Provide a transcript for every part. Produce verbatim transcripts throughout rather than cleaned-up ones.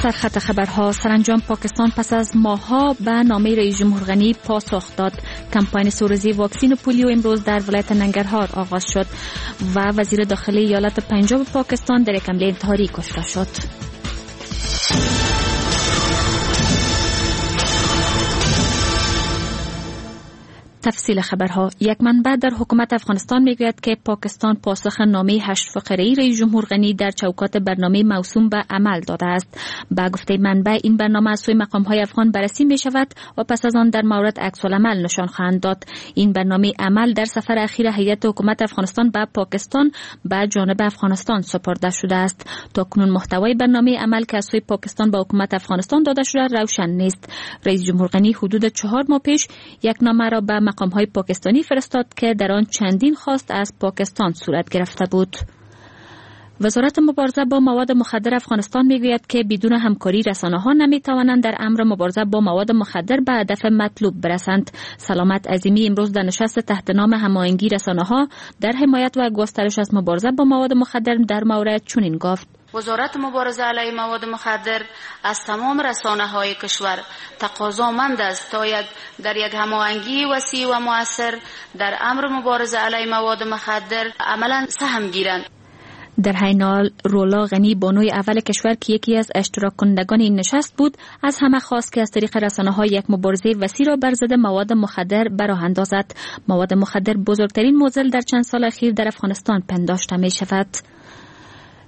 سرخط خبرها: سرانجام پاکستان پس از ماه‌ها به نامه رئیس جمهور غنی پاسخ داد. کمپاین سه واکسین پولیو امروز در ولایت ننگرهار آغاز شد و وزیر داخلی ایالت پنجاب پاکستان در یک حمله انتحاری کشته شد. تفصیل خبرها: یک منبع در حکومت افغانستان میگوید که پاکستان پاسخ نامه هشت فقره‌ای رئیس جمهور غنی در چوکات برنامه موسوم به عمل داده است. به گفته منبع این برنامه از سوی مقام‌های افغان بررسی می‌شود و پس از آن در مورد عکس العمل نشان خواهند داد. این برنامه عمل در سفر اخیر هیئت حکومت افغانستان به پاکستان به جانب افغانستان سپرده شده است. تا کنون محتوای برنامه عمل که از سوی پاکستان به حکومت افغانستان داده شده روشن نیست. رئیس جمهور غنی حدود چهار ماه پیش یک نامه را به مقام‌های پاکستانی فرستاد که در آن چندین خواست از پاکستان صورت گرفته بود. وزارت مبارزه با مواد مخدر افغانستان میگوید که بدون همکاری رسانه‌ها نمیتوانند در امر مبارزه با مواد مخدر به هدف مطلوب برسند. سلامت عظیمی امروز در نشست تحت نام هماهنگی رسانه‌ها در حمایت و گسترش از مبارزه با مواد مخدر در مورد چنین گفت: وزارت مبارزه علیه مواد مخدر از تمام رسانه‌های کشور تقاضامند است تا یک در یک هماهنگی وسیع و مؤثر در امر مبارزه علیه مواد مخدر عملاً سهم گیرند. در حین حال رولا غنی بانوی اول کشور که یکی از اشتراک کنندگان این نشست بود از همه خواست که از طریق رسانه‌ها یک مبارزه وسیع را بر ضد مواد مخدر براه اندازد. مواد مخدر بزرگترین معضل در چند سال اخیر در افغانستان پنداشته می شود.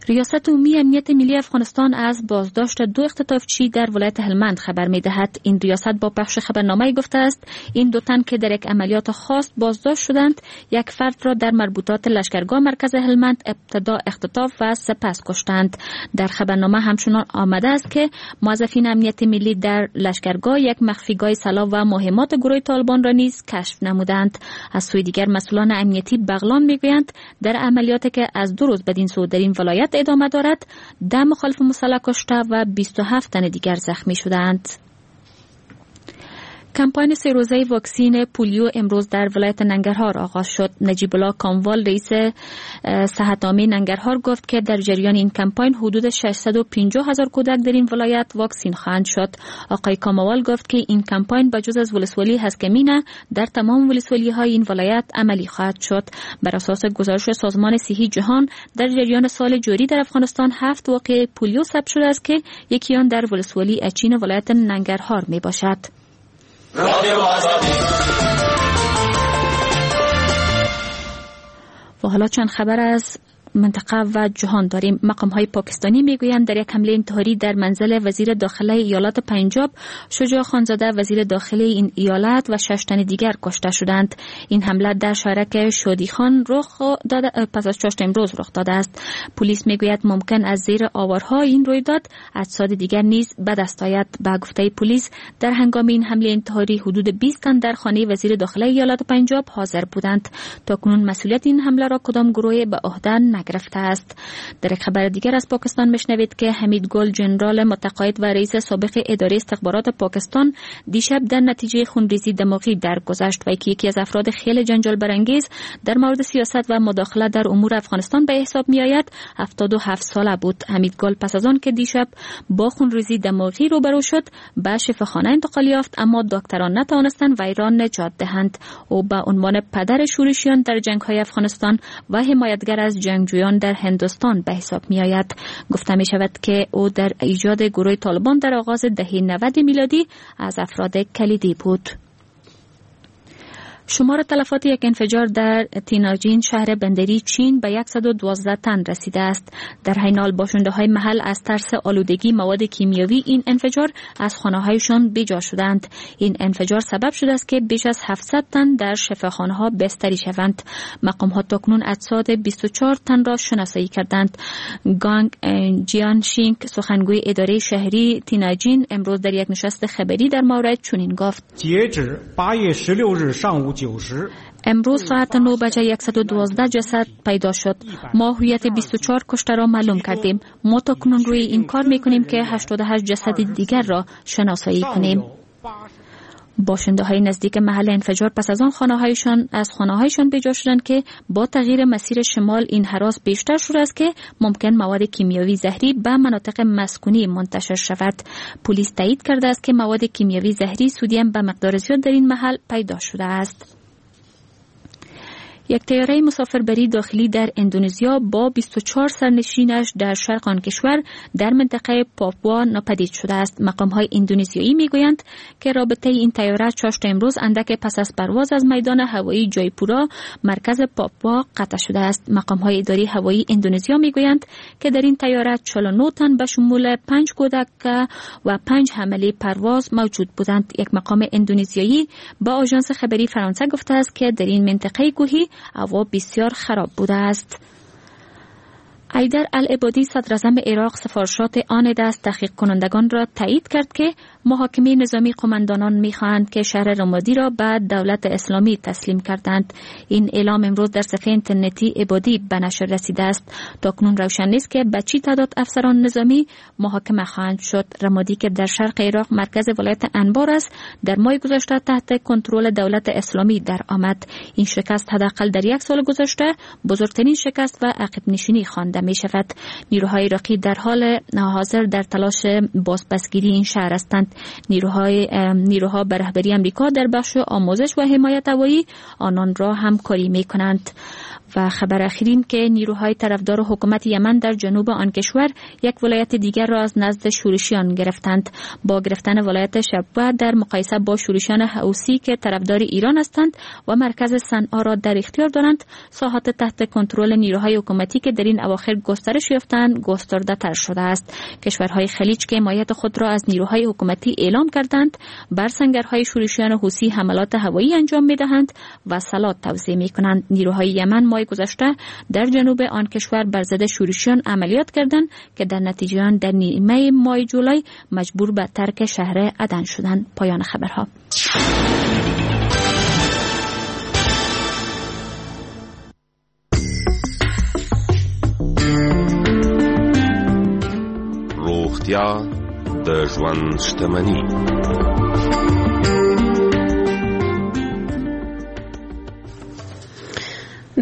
ریاست عمومی امنیت ملی افغانستان از بازداشت دو اختطافچی در ولایت هلمند خبر می‌دهد. این ریاست با پخش خبرنامه‌ای گفته است این دو تن که در یک عملیات خاص بازداشت شدند، یک فرد را در مربوطات لشکرگاه مرکز هلمند ابتدا اختطاف و سپس کشتند. در خبرنامه همچنان آمده است که موظفین امنیت ملی در لشکرگاه یک مخفیگاه سلاح و مهمات گروه طالبان را نیز کشف نمودند. از سوی دیگر مسئولان امنیتی بغلان می‌گویند در عملیاتی که از دو روز بدین سو در این ولایت ادامه دارد، ده مخالف مسلح کشته و بیست و هفت تن دیگر زخمی شدند. کمپاین سه روزه واکسین پولیو امروز در ولایت ننگرهار آغاز شد. نجیب الله کاموال رئیس صحت عامه ننگرهار گفت که در جریان این کمپاین حدود ششصد و پنجاه هزار کودک در این ولایت واکسین خواهند شد. آقای کاموال گفت که این کمپاین به جز از ولسوالی هسکمینه در تمام ولسوالی های این ولایت عملی خواهد شد. بر اساس گزارش سازمان صحی جهان در جریان سال جاری در افغانستان هفت واقعه پولیو ثبت شده است که یکی آن در ولسوالی اچین ولایت ننگرهار می باشد. و حالا چند خبر از منطقه و جهان داریم. مقام های پاکستانی میگویند در یک حمله انتحاری در منزل وزیر داخله ایالت پنجاب، شجاع خانزاده وزیر داخله این ایالت و شش تن دیگر کشته شدند. این حمله در شهرک شادی خان رخ داده پس از چاشت امروز رخ داده است. پلیس میگوید ممکن از زیر آوارها این رویداد اجساد دیگر نیز به دست آید. به گفته پلیس در هنگام این حمله انتحاری حدود بیست تن در خانه وزیر داخله ایالت پنجاب حاضر بودند. تاکنون مسئولیت این حمله را کدام گروه به عهده نگرفته است. در یک خبر دیگر از پاکستان میشنوید که حمید گل جنرال متقاعد و رئیس سابق اداره استخبارات پاکستان دیشب در نتیجه خونریزی دماغی درگذشت و یکی از افراد خیلی جنجال برانگیز در مورد سیاست و مداخله در امور افغانستان به حساب می آید هفتاد و هفت ساله بود. حمید گل پس از آن که دیشب با خونریزی دماغی روبرو شد به شفاخانه انتقال یافت، اما دکتران نتوانستند وی را نجات دهند. او به عنوان پدر شورشیان در جنگ‌های افغانستان و حمایتگر از جنگجویان در هندوستان به حساب می آید. گفته می شود که او در ایجاد گروه طالبان در آغاز دهه نود میلادی از افراد کلیدی بود. شمار تلفات یک انفجار در تیناجین شهر بندری چین به صد و دوازده تن رسیده است. در حین حال باشنده های محل از ترس آلودگی مواد کیمیاوی این انفجار از خانه هایشان بیجا شدند. این انفجار سبب شده است که بیش از هفتصد تن در شفاخانه ها بستری شوند. مقام ها تاکنون اجساد بیست و چهار تن را شناسایی کردند. گانگ جیان شینگ سخنگوی اداره شهری تیناجین امروز در یک نشست خبری در مورد چنین گفت: امروز ساعت نه بجه صد و دوازده جسد پیدا شد. ما هویت بیست و چهار کشته را معلوم کردیم. ما تا کنون روی این کار میکنیم که هشتاد و هشت جسد دیگر را شناسایی کنیم. باشنده های نزدیک محل انفجار پس از آن خانه هایشان از خانه هایشان بیجا شدند که با تغییر مسیر شمال این هراس بیشتر شده است که ممکن مواد کیمیاوی زهری به مناطق مسکونی منتشر شود. پلیس تایید کرده است که مواد کیمیاوی زهری سودیم به مقدار زیاد در این محل پیدا شده است. یک طیاره مسافربری داخلی در اندونزیا با بیست و چهار سرنشینش در شرق آن کشور در منطقه پاپوا ناپدید شده است. مقام‌های اندونزیایی میگویند که رابطه این طیاره چاشت امروز اندک پس از پرواز از میدان هوایی جایپورا مرکز پاپوا قطع شده است. مقام‌های اداری هوایی اندونزیا میگویند که در این طیاره چهل و نه تن به شمول پنج کودک و پنج حمله پرواز موجود بودند. یک مقام اندونزیایی با آژانس خبری فرانسه گفته است که در این منطقه کوهی هوا بسیار خراب بوده است. حیدر العبادی صدراعظم عراق سفارشات آن دست تحقیق کنندگان را تایید کرد که محاکمه نظامی قماندانان میخواهند که شهر رمادی را به دولت اسلامی تسلیم کردند. این اعلام امروز در صفحه اینترنتی عبادی به نشر رسیده است. تاکنون روشن نیست که به چی تعداد افسران نظامی محاکمه خواهند شد. رمادی که در شرق عراق مرکز ولایت انبار است، در ماه گذشته تحت کنترل دولت اسلامی در آمد. این شکست حداقل در یک سال گذشته بزرگترین شکست و عقب نشینی خوانده می شود. نیروهای عراقی در حال حاضر در تلاش بازپسگیری این شهر هستند. نیروهای نیروها به رهبری امریکا در بخش آموزش و حمایت هوایی آنان را همکاری می کنند. و خبر اخیرین که نیروهای طرفدار حکومت یمن در جنوب آن کشور یک ولایت دیگر را از نزد شورشیان گرفتند. با گرفتن ولایت شبوه در مقایسه با شورشیان حوثی که طرفدار ایران هستند و مرکز صنعا را در اختیار دارند، ساحات تحت کنترل نیروهای حکومتی که در این اواخر گسترش یافتند گسترده تر شده است. کشورهای خلیج که حمایت خود را از نیروهای حکومتی اعلام کردند، بر سنگرهای شورشیان حوثی حملات هوایی انجام می‌دهند و سلاح توزیع می‌کنند. نیروهای یمن ماه گذشته در جنوب آن کشور بر ضد شورشیان عملیات کردند که در نتیجه آن در نیمه ماه جولای مجبور به ترک شهر عدن شدند. پایان خبرها. روغتیا د ژوند شتمني.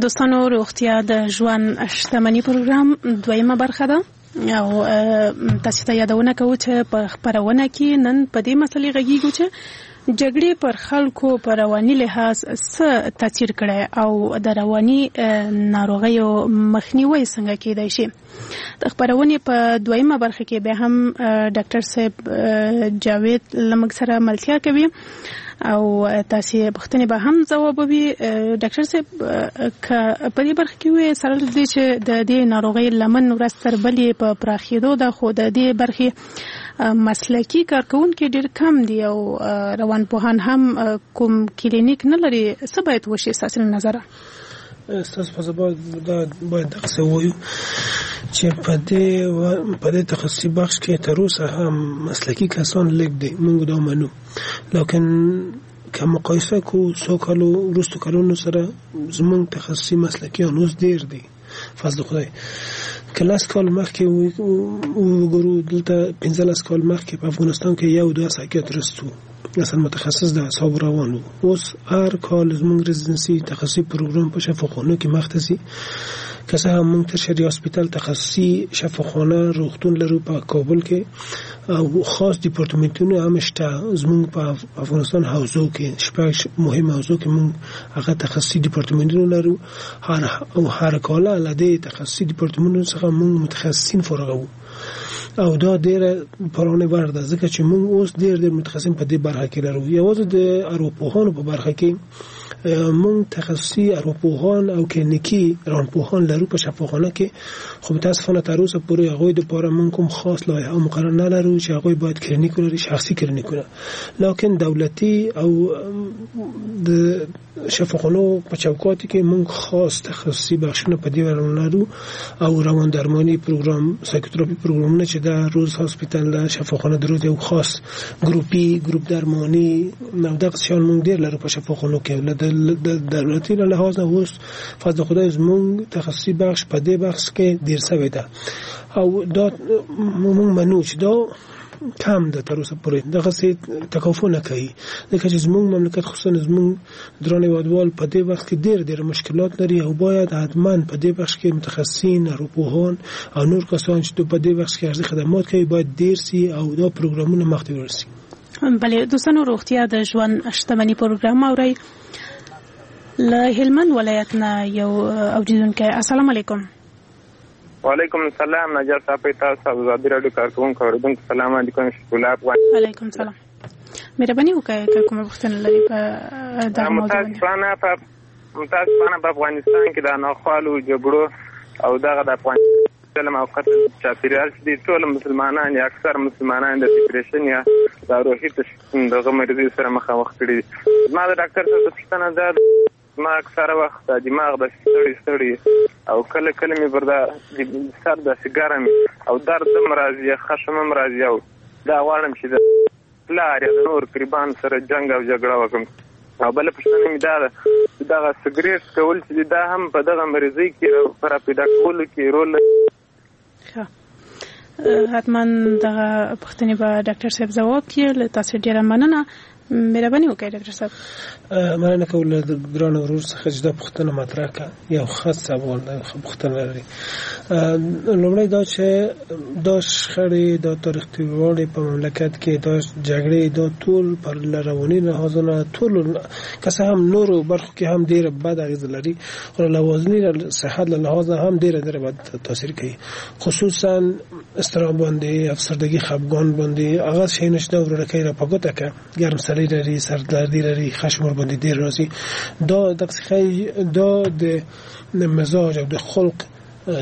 دوستانو، روغتیا د ژوند شتمني پروګرام دویمه برخه ده او تاسو ته یادونه کوو چې په خبرونه کې نن په دې مسلې غږیږو چې جګړې پر خلکو پر رواني لحاظ څه تاثیر کړی او د رواني ناروغیو مخنیوي څنګه کیدای شي. د خبرونې په دویمه برخه کې به هم ډاکټر صاحب جاوید له موږ سره ملتیا کوي او تاسو پوښتنې به هم ځوابوي. ډاکټر صاحب، که په دې برخه کې وي سره له دې چې د دې ناروغۍ لمن ورځ تر بلې په پراخېدو ده، خو د دې برخې مسلکي کارکوونکي ډېر کم دي او روانپوهان هم کوم کلینیک نه لري، څه باید وشي ستاسو له نظره؟ ستاسو په ځواب دا باید دغسې ووایو چې په دې په دې تخصصي بخش کې تر اوسه هم مسلکي کسان لږ دي، موږ دا منو، لکن که مقایسه کو څو کالو وروستو کلونو سره زموږ تخصصي مسلکیان اوس ډېر دي. فضل خدای که لس کال مخکې وګورو، دلته پنځلس کال مخکې په افغانستان کې یو دوه سایکیاتریست وو، اصلا متخصص د اعصاب روان وو. اوس هر کال زموږ residency تخصصي پروګرام په شفاخانو کې مخته ځي. که څه هم موږ tertiary hospital تخصصي شفاخانه روغتون لرو په کابل کې او خاص دیپارتمنتونه هم شته زموږ په افغانستان حوزو کې، شپږ مهم حوزو کې موږ هغه تخصصي دیپارتمنتونه لرو. هر او هر کال له دې تخصصي دیپارتمنتونو څخه موږ متخصصین فارغوو او دا ډیره پرانه وړ ده، ځکه چې موږ اوس ډیر ډیر متخصصین په دې برخه کې لرو. یوازې د ارواپوهانو په برخه کې موږ تخصصي ارواپوهان او کلینیکي روانپوهان لرو په شفاخانه کې، خو متاسفانه تر اوسه پورې هغوی دپاره موږ کوم خاص لایحه او مقرر نه لرو چې هغوی باید کلینیک ولري، شخصي کلینیکونه. لکن دولتي او د شفاخانو په چوکات کې موږ خاص تخصصي بخشونه په دې اړه لرو او روان درمانی پروګرام، psychotherapy پروګرامونه چې د روز hospital د شفاخانه د روز یو خاص ګروپي ګروپ درمانی او دغه شیان موږ ډیر لرو په شفاخانو کې. د دولتي له لحاظ نه اوس فضل خدای زموږ تخصصي بخش په دې بخش کې ډیر سوی ده او دا موږ منو چې دا کم ده تر اوسه پورې، دغسې تکافو نه کوي، ځکه چې زموږ مملکت خصوصا زموږ درانه هېوادوال په دې بخش کې ډېر ډېر مشکلات لري او باید حتما په دې بخش کې متخصصین، اروپوهان او نور کسان چې په دې بخش کې ارزي خدمات کوي باید ډېر سي او دا پروګرامونه مخته وړل سي. بله دوستانو، روغتیا د ژوند شتمني پروګرام اورئ. له هلمند ولایت نه یو اوریدونکی. السلام علیکم. وعلیکم السلام. نجار صاحب، تاسو او ازادي راډیو کارکوونکو اوریدونکو سلام علیکم. شکر الله افغان. علیکم سلام. مهرباني وکړئ که کومه پوښتنه لرئ په دغه موضوع باندې. متاسفانه په متاسفانه په افغانستان کې د ناخوالو جګړو او دغه د افغانستان ظلم او قتل چاپیریال چې دي، ټول مسلمانان یا اکثر مسلمانان د ډیپریشن یا د روحي دغه مریضۍ سره مخامخ کړي دي. زما د ډاکټر صاحب پوښتنه دا ده، زما اکثره وخت د دماغ داسې ستړی ستړی او کله کله مې پر دا سر داسې ګرم او درد هم راځي، خشم هم راځي او دا غواړم چې د پلار یا د نور قریبان سره جنګ او جګړه وکړم. او بله پوښتنه مې دا ده چې دغه سګرېټ څکول چې دي، دا هم په دغه مریضۍ کې په راپیدا کولو کې رول لري؟ ښه، حتما دغه پوښتنې به ډاکټر صاحب ځواب کړي. له تاسو ډېره مننه. مهرباني وکړئ ډاکټر صاحب. مننه کوم له ګران ورور څخه چې دا پوښتنه مطرح کړه، یو ښه سوال دی، ښه پوښتنه لري. لومړی دا چې دا شخړې، دا تاریخ تېروالی په مملکت کې، دا جګړې، دا ټول پر رواني لحاظونه ټول که څه هم نورو برخو کې هم ډېره بد اغېزه لري، خو له لوازني صحت له لحاظه هم ډېره ډېره بد تاثیر کوي، خصوصا اضطراب باندې، افسردګي، خفګان باندې. هغه شیونه چې دا ورورکۍ را په ګوته کړه، ګرم سړی لري، سردردي لري، خشم ورباندې ډېر راځي، دا دغسې ښایي دا د مزاج او د خلق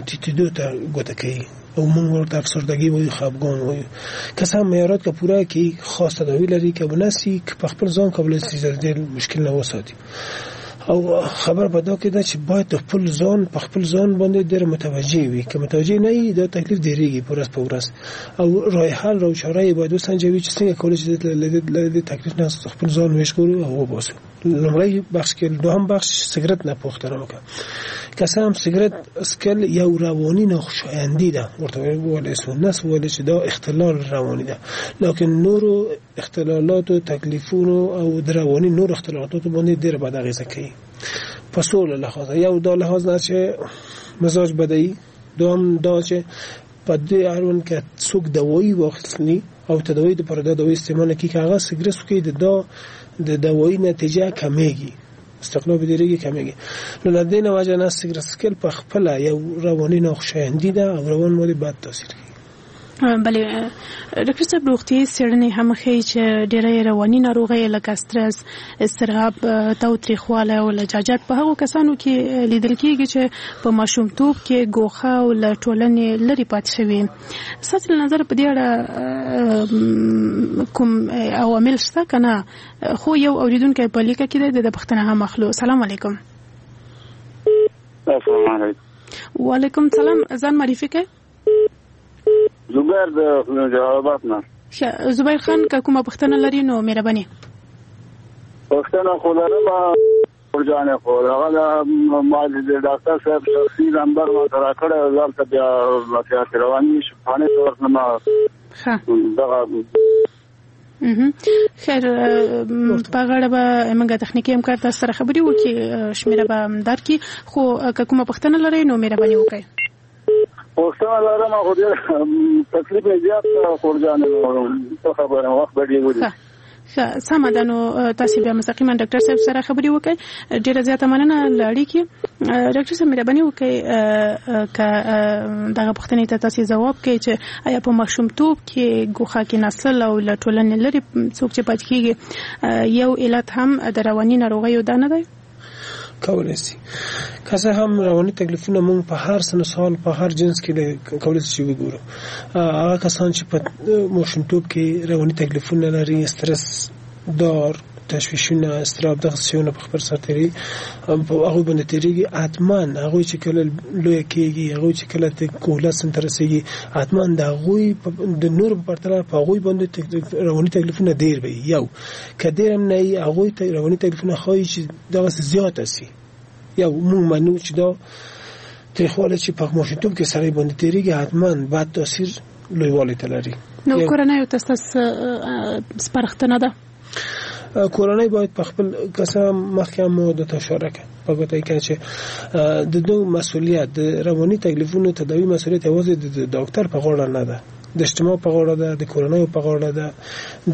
ټیټېدو ته ګوته کوي او موږ ورته افسردګي وایو، خفګان وایو. که څه هم معیارات که پوره کړي، خاص تداوي لري، که ونه سي، که په خپل ځان کولی سي د دې مشکل نه وساتي. او خبر په دا کې ده چې باید د خپل ځان په خپل ځان باندې ډېر متوجه وي، که متوجه نه وي دا تکلیف ډېرېږي په ورځ په ورځ، او راه حل او چاره یې باید وسنجوي چې څنګه کولی شي له دې تکلیف نه خپل ځان وژغورو او وباسو. لومړی بخش کې. دوهم بخش سګرټ نه پوښتنه وکړه. که څه هم سګرټ څکل یو رواني ناخوشایندي ده، ورته وویلی سو، نه سو ویلی چې دا اختلال رواني ده، لکن نورو اختلالاتو، تکلیفونو او د رواني نور اختلالاتو باندې ډېره بده اغېزه کوي په سوله لحاظه. یو دا لحاظ نه چې مزاج بدوي، دوهم دا چې په دې اړوند که څوک دوایي واخلي او تداوي دپاره دا دوایي استعمال کړي، که هغه سګرټ وکړي د دا د دوایي نتیجه کمېږي، استقلاب ډېرېږي، کمېږي. نو له دې نه وجه نه سګرټ څکل په خپله یو رواني ناخوشایندي ده او روان باندې بد تاثیر کوي. بله ډاکټر صاحب، روغتیايي څېړنې هم ښيي چې ډېری رواني ناروغۍ لکه سترس، اضطراب، تاوتریخوالی او لجاجت په هغو کسانو کې لیدل کېږي چې په ماشومتوب کې ګوښه او له ټولنې لرې پاتې شوي. ستاسو له نظره په دې اړه کوم عوامل شته که نه؟ خو یو اورېدونکی په لیکه کې دی، د ده پوښتنه هم اخلو. سلام علیکم. السلام علیکم. وعلیکم سلام. ځان معرفي کړئ. زبیر د جلال آباد نه. ښه زبیر خان، که کومه پوښتنه لري نو مهرباني. پوښتنه خو لرم ورجانې، خو هغه ما د ډاکټر صاحب شخصي نمبر ما ته راکړی، زه هلته بیا نصیحت رواني شفاخانې ته ورتلم. ښه دغه خیر، په غاړه به موږ تخنیکي همکار تاسو سره خبرې وکړي، شمېره به درکړي، خو که کومه پوښتنه لرئ نو مهرباني وکړئ. پوښتنه لرم خو ډېر تکلیف مې زیات خور جانې، څه خبره وخت به ډېر ودی. ښه سمه ده، نو تاسو بیا مستقیما ډاکټر صاحب سره خبرې وکړئ. ډېره زیاته مننه له اړیکې. ډاکټر صاحب مهرباني وکړئ که دغه پوښتنې ته تاسو ځواب کړئ چې آیا په ماشومتوب کې ګوښه کې نسل او له ټولنې لرې څوک چې پاتې کېږي یو علت هم د رواني ناروغیو دا نه دی؟ کولی سي. که څه هم رواني تکلیفونه موږ په هر سن سال په هر جنس کې کولی سي چې وګورو. هغه کسان چې په ماشومتوب کې رواني تکلیفونه لري، استرس دار، تشویشونه، اضطراب، دغه شیونه په خپل سر تېرېږي، په هغوی باندې تېرېږي، حتما هغوی چې کله لوی کېږي، هغوی چې کله کهولت سن ته رسېږي، حتما د هغوی د نورو په پرتله په هغوی باندې رواني تکلیفونه ډېر وي. یو که ډېر هم نه وي، هغوی ته رواني تکلیفونه ښایي چې دغسې زیاته سي. یو موږ منو چې دا تریخوالی چې په ماشومتوب کې سړی باندې تېرېږي، حتما بد تاثیر لویوالي ته لري. نو کورنۍ ته ستاسو سپارښتنه ده؟ کورنۍ باید په خپل کسان مخکې مو د اشاره کړه په ګوته کې چې د دوی مسؤلیت د رواني تکلیفونو تداوی مسؤلیت یوازې د ډاکټر په غاړه نه ده، د اجتماع په غاړه ده، د کورنۍ په غاړه ده،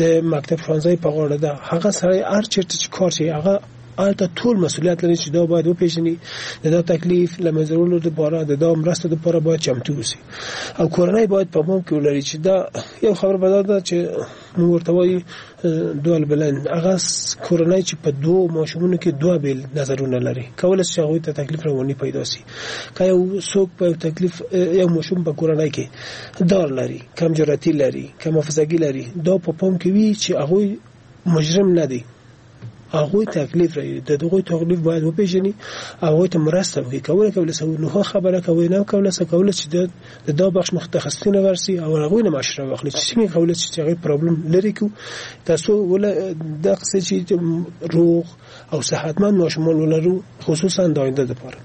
د مکتب ښوونځي په غاړه ده. هغه سړی هر چیرته چې کار کوي هغه هلته ټول مسؤلیت لري چې دا باید وپیژني، د دا تکلیف له منځه وړلو لپاره د دا مرستو لپاره باید چمتو اوسي. او کورنۍ باید په پام کې ولري چې دا یو خبره به دا ده چې موږ ورته وایو دوال بلند، هغه کورنۍ چې په دوو ماشومونو کې دوه بیل نظرونه لري کولی شي هغوی ته تکلیف رواني پیدا سي. که یو څوک په یو تکلیف یو ماشوم په کورنۍ کې دار لري، کم جرأتي لري، کم حافظګي لري، دا په پام کې وي چې هغوی مجرم نه دي، هغوی تکلیف لري، د هغوی تکلیف باید وپیژني، هغوی ته مرسته وکړي. کولی کولی سو نو خبره کوي نه کولی سو کولی چې د دا بخش متخصصین ورسي او هغوی نه مشوره واخلي چې څنګه کولی شي چې هغوی problem لري کو تاسو ولا دغسې چې روغ او صحتمند ماشومان ولرو، خصوصا د آینده لپاره.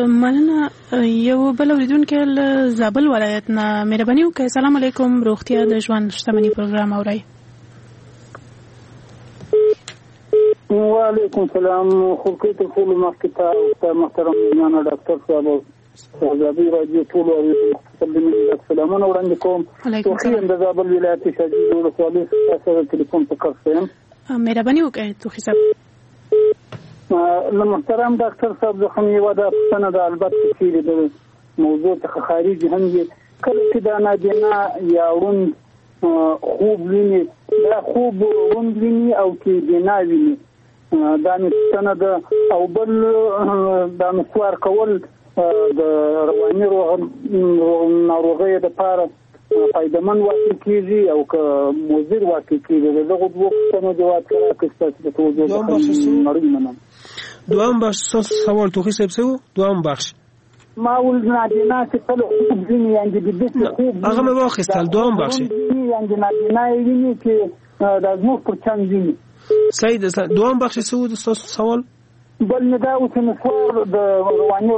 مننه. یو بل اوریدونکی له زابل ولایت نه، مهرباني وکړئ. سلام علیکم، روغتیا د ژوند شتمني پروګرام اورئ. وعلیکم سلام. خورکې تر ټولو مخکې ته استاد محترم میلمانه ډاکټر صاحب او ازادي راډیو ټولو اورېدونکو ته د مینې ډک سلامونه وړاندې کوم. توخي یم د زابل ولایت شاجوی ولسوالۍ ستاسو سره ټلیفون په کرښه یم. مهرباني وکړئ توخي صاحب. له محترم ډاکټر صاحب څخه مې یوه دا پوښتنه ده، البته چیرې د موضوع څخه خارج هم وي، کله چې دا نابینا یا ړوند خوب ویني، دا خوب ړوند ویني او که بینا ویني؟ دا مې پوښتنه ده. او بل دا نسوار کول د رواني ناروغیو دپاره فایدهمند واقع کېږي او که مضر واقع کېږي؟ د دغو دوو پوښتنو جواب که راکړئ ستاسو د توجه څخه نړۍ مننه. دوهم بخش ستاسو سوال توخي صاحب څه و؟ دوهم بخش ما ول نابینا چې کله خوب ویني، یعنې د داسې خوب هغه مې واخیستل. دوهم بخش یعنې نابینا یې ویني چې دا زموږ پر چم ویني. صحیح ده. دوهم بخش څه و ستاسو سوال؟ بل مې دا و چې نسوار د رواني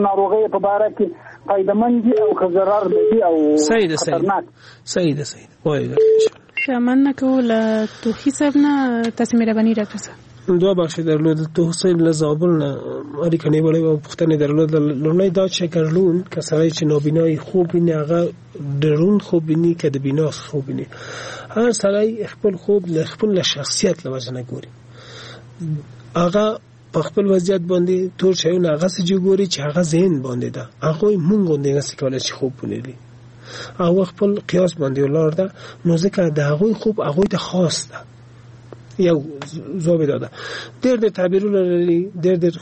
ناروغیو په باره کې فایدهمند دي او که ضرر لري او خطرناک؟ صحیح ده، صحیح ده. وایي درته. مننه کوو له توخي صاحب نه، تاسې مهرباني ډاکټر صاحب. دوه بخش درلود. توخي صاحب له زابل نه اړیکه نیولې وه، پوښتنې درلوده. لومړی دا چې که ړوند که سړی چې نابینای خوب ویني هغه د ړوند خوب ویني که د بینا خوب ویني؟ هر سړی خپل خوب له خپل له شخصیت له وجې نه ګوري، هغه په خپل وضعیت باندې تور شیونه هغسې چې ګوري چې هغه ذهن باندې ده، هغوی مونږ غوندې نسي کولی چې خوب ولري، هغه خپل قیاس باندې ولاړ ده، نو ځکه د هغوی خوب هغوی ته خاص ده. یو ځواب دا ده. ډېر ډېر تعبیرونه لري، ډېر ډېر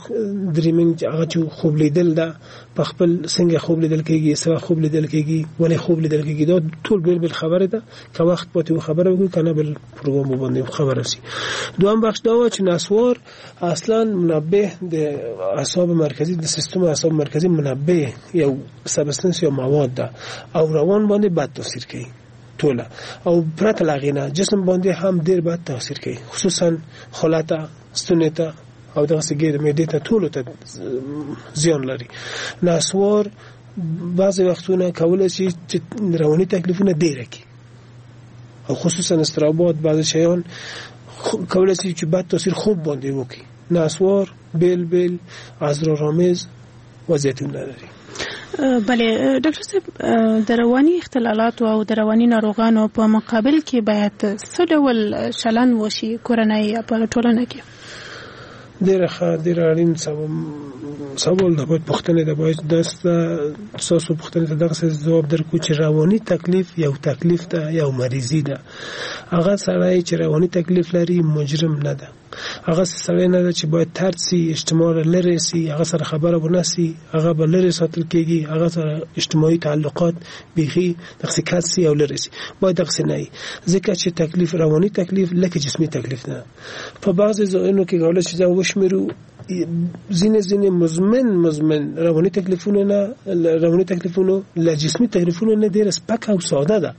dreaming هغه چې خوب لیدل ده، په خپل څنګه خوب لیدل کېږي، څه خوب لیدل کېږي، ولې خوب لیدل کېږي، دا ټول بېل بېل خبرې ده. که وخت پاتې و خبره وکړو، که نه بل پروګرام باندې خبره شي. دوهم بخش دا و چې نسوار اصلا منبه د اعصاب مرکزي، د سیستم اعصاب مرکزي منبه یو substance یا مواد ده او روان باندې بد تاثیر کوي ټوله، او پرته له هغې نه جسم باندې هم ډېر بد تاثیر کوي، خصوصا خوله ته، ستونې ته او دغسې ګېډې معدې ته ټولو ته زیان لري. نسوار بعضې وختونه کولی شي چې رواني تکلیفونه ډېره کړي، او خصوصا اضطرابات بعضې شیان کولی شي چې بد تاثیر خوب باندې وکړي. نسوار بیل بیل اسرارآمیز وضعیتونه لري. بله ډاکټر صاحب، د رواني اختلالاتو او د رواني ناروغانو په مقابل کې باید څه ډول چلند وشي کورنۍ یا په ټولنه کې؟ ډېره ښه، ډېر اړین سوال ده، باید پوښتنې ده، باید ستاسو پوښتنې ته دغسې ځواب درکړو چې رواني تکلیف یو تکلیف ده، یو مریضي ده. هغه سړی چې رواني تکلیف لري مجرم نه ده، هغه سړی نه ده چې باید طرد سي، اجتماع لرې سي، هغه سره خبره ونه سي، هغه به لرې ساتل کېږي، هغه سره اجتماعي تعلقات بیخي دغسې کت سي او لرې سي. باید دغسې نه وي، ځکه چې تکلیف رواني تکلیف لکه جسمي تکلیف نه. په بعضې ځایونو کې کولی چې ځان وشمېرو ځینې ځینې مزمن مزمن رواني تکلیفونه نه، رواني تکلیفونو له جسمي تکلیفونو نه ډېره سپکه او ساده ده.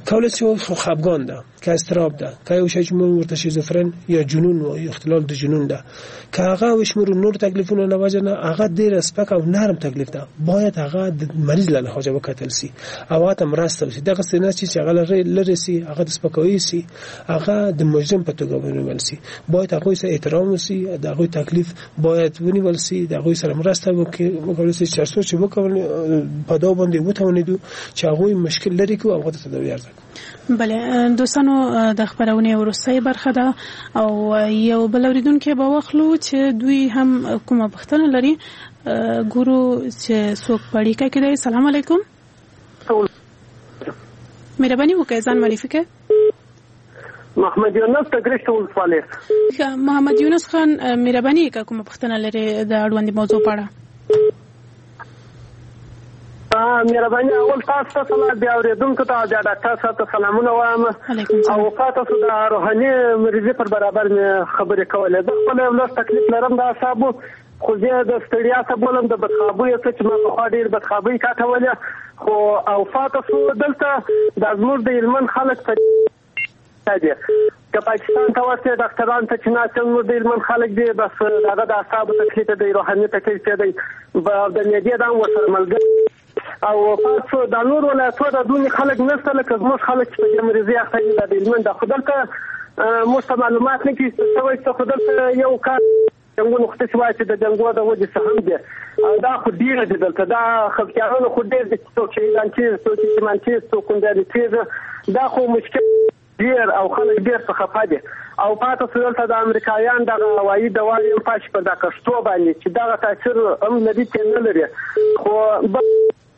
کولی شي خو خفګان ده، که اضطراب ده، که یو شی چې موږ ورته شیزوفرن یا جنون وایو، اختلال د جنون ده، که هغه وشمرو نور تکلیفونه له وجه نه هغه ډېر سپک او نرم تکلیف ده، باید هغه د مریض له لحاظه وکتل سي او هغه ته مرسته وشي. دغسې نه چې هغه لرې سي، هغه د سپکاوي سي، هغه د مجرم په توګه ونیول سي. باید هغوی سره احترام وسي، د هغوی تکلیف باید ونیول سي، د هغوی سره مرسته وکړل سي، چې څو چې وکول په دا باندې وتوانېدو چې هغوی مشکل لرې کړو او هغه ته تداوي عرضه کړو. بله دوستانو، د خپرونې وروستۍ برخه ده او یو بل اوریدونکی به واخلو چې دوی هم کومه پوښتنه لري. ګورو چې څوک په اړیکه کې دی. سلام علیکم، مهرباني وکړئ ځان معرفي کړئ. محمد یونس د ګرشک ولسوالۍ. محمد یونس خان، مهرباني وکړئ کومه پوښتنه لري د اړوندې موضوع په اړه؟ مهرباني، اول تاسو ته سلام، بیا اورېدونکو ته، بیا ډاکټر صاحب ته سلامونه وایم. او تاسو د روحاني مریضي پر برابر مې خبرې کولې. زه خپله یو لږ تکلیف لرم د اعصابو، خو زه د ستړیا څه بولم، د بدخوابۍ څه چې ما پخوا ډېر بدخوابۍ کاټولې، خو او پاتې شو دلته د زموږ د هلمند خلک په دي که پاکستان ته ورسې ډاکټران ته چې ناست زموږ د هلمند خلک دي، بس هغه د اعصابو تکلیف دی، روحاني تکلیف دی، د معدې دا هم ورسره ملګری. او پاتې دا نور ولایتو دا دونې خلک نشته لکه زموږ خلک چې په دې مریضي اخته دي، دا د هلمند ده. خو دلته موږ ته معلومات نه کېږي څه شوی څه، خو دلته یو کار جنګونو خو داسې وایي چې د جنګو د وجې څه هم دي، دا خو ډېر دي دلته، دا خپکیانونه خو ډېر دي، څوک شهیدان کېږي، څوک یتیمان کېږي، څوک کونډیانې کېږي، دا خو مشکل ډېر او خلک ډېر څه خفه دي. او پاتې شو دلته د امریکایان دغه هوایي دواوې هم پاشي پر دا کښتو باندې چې دغه تاثیر هم لري چې نه لري، خو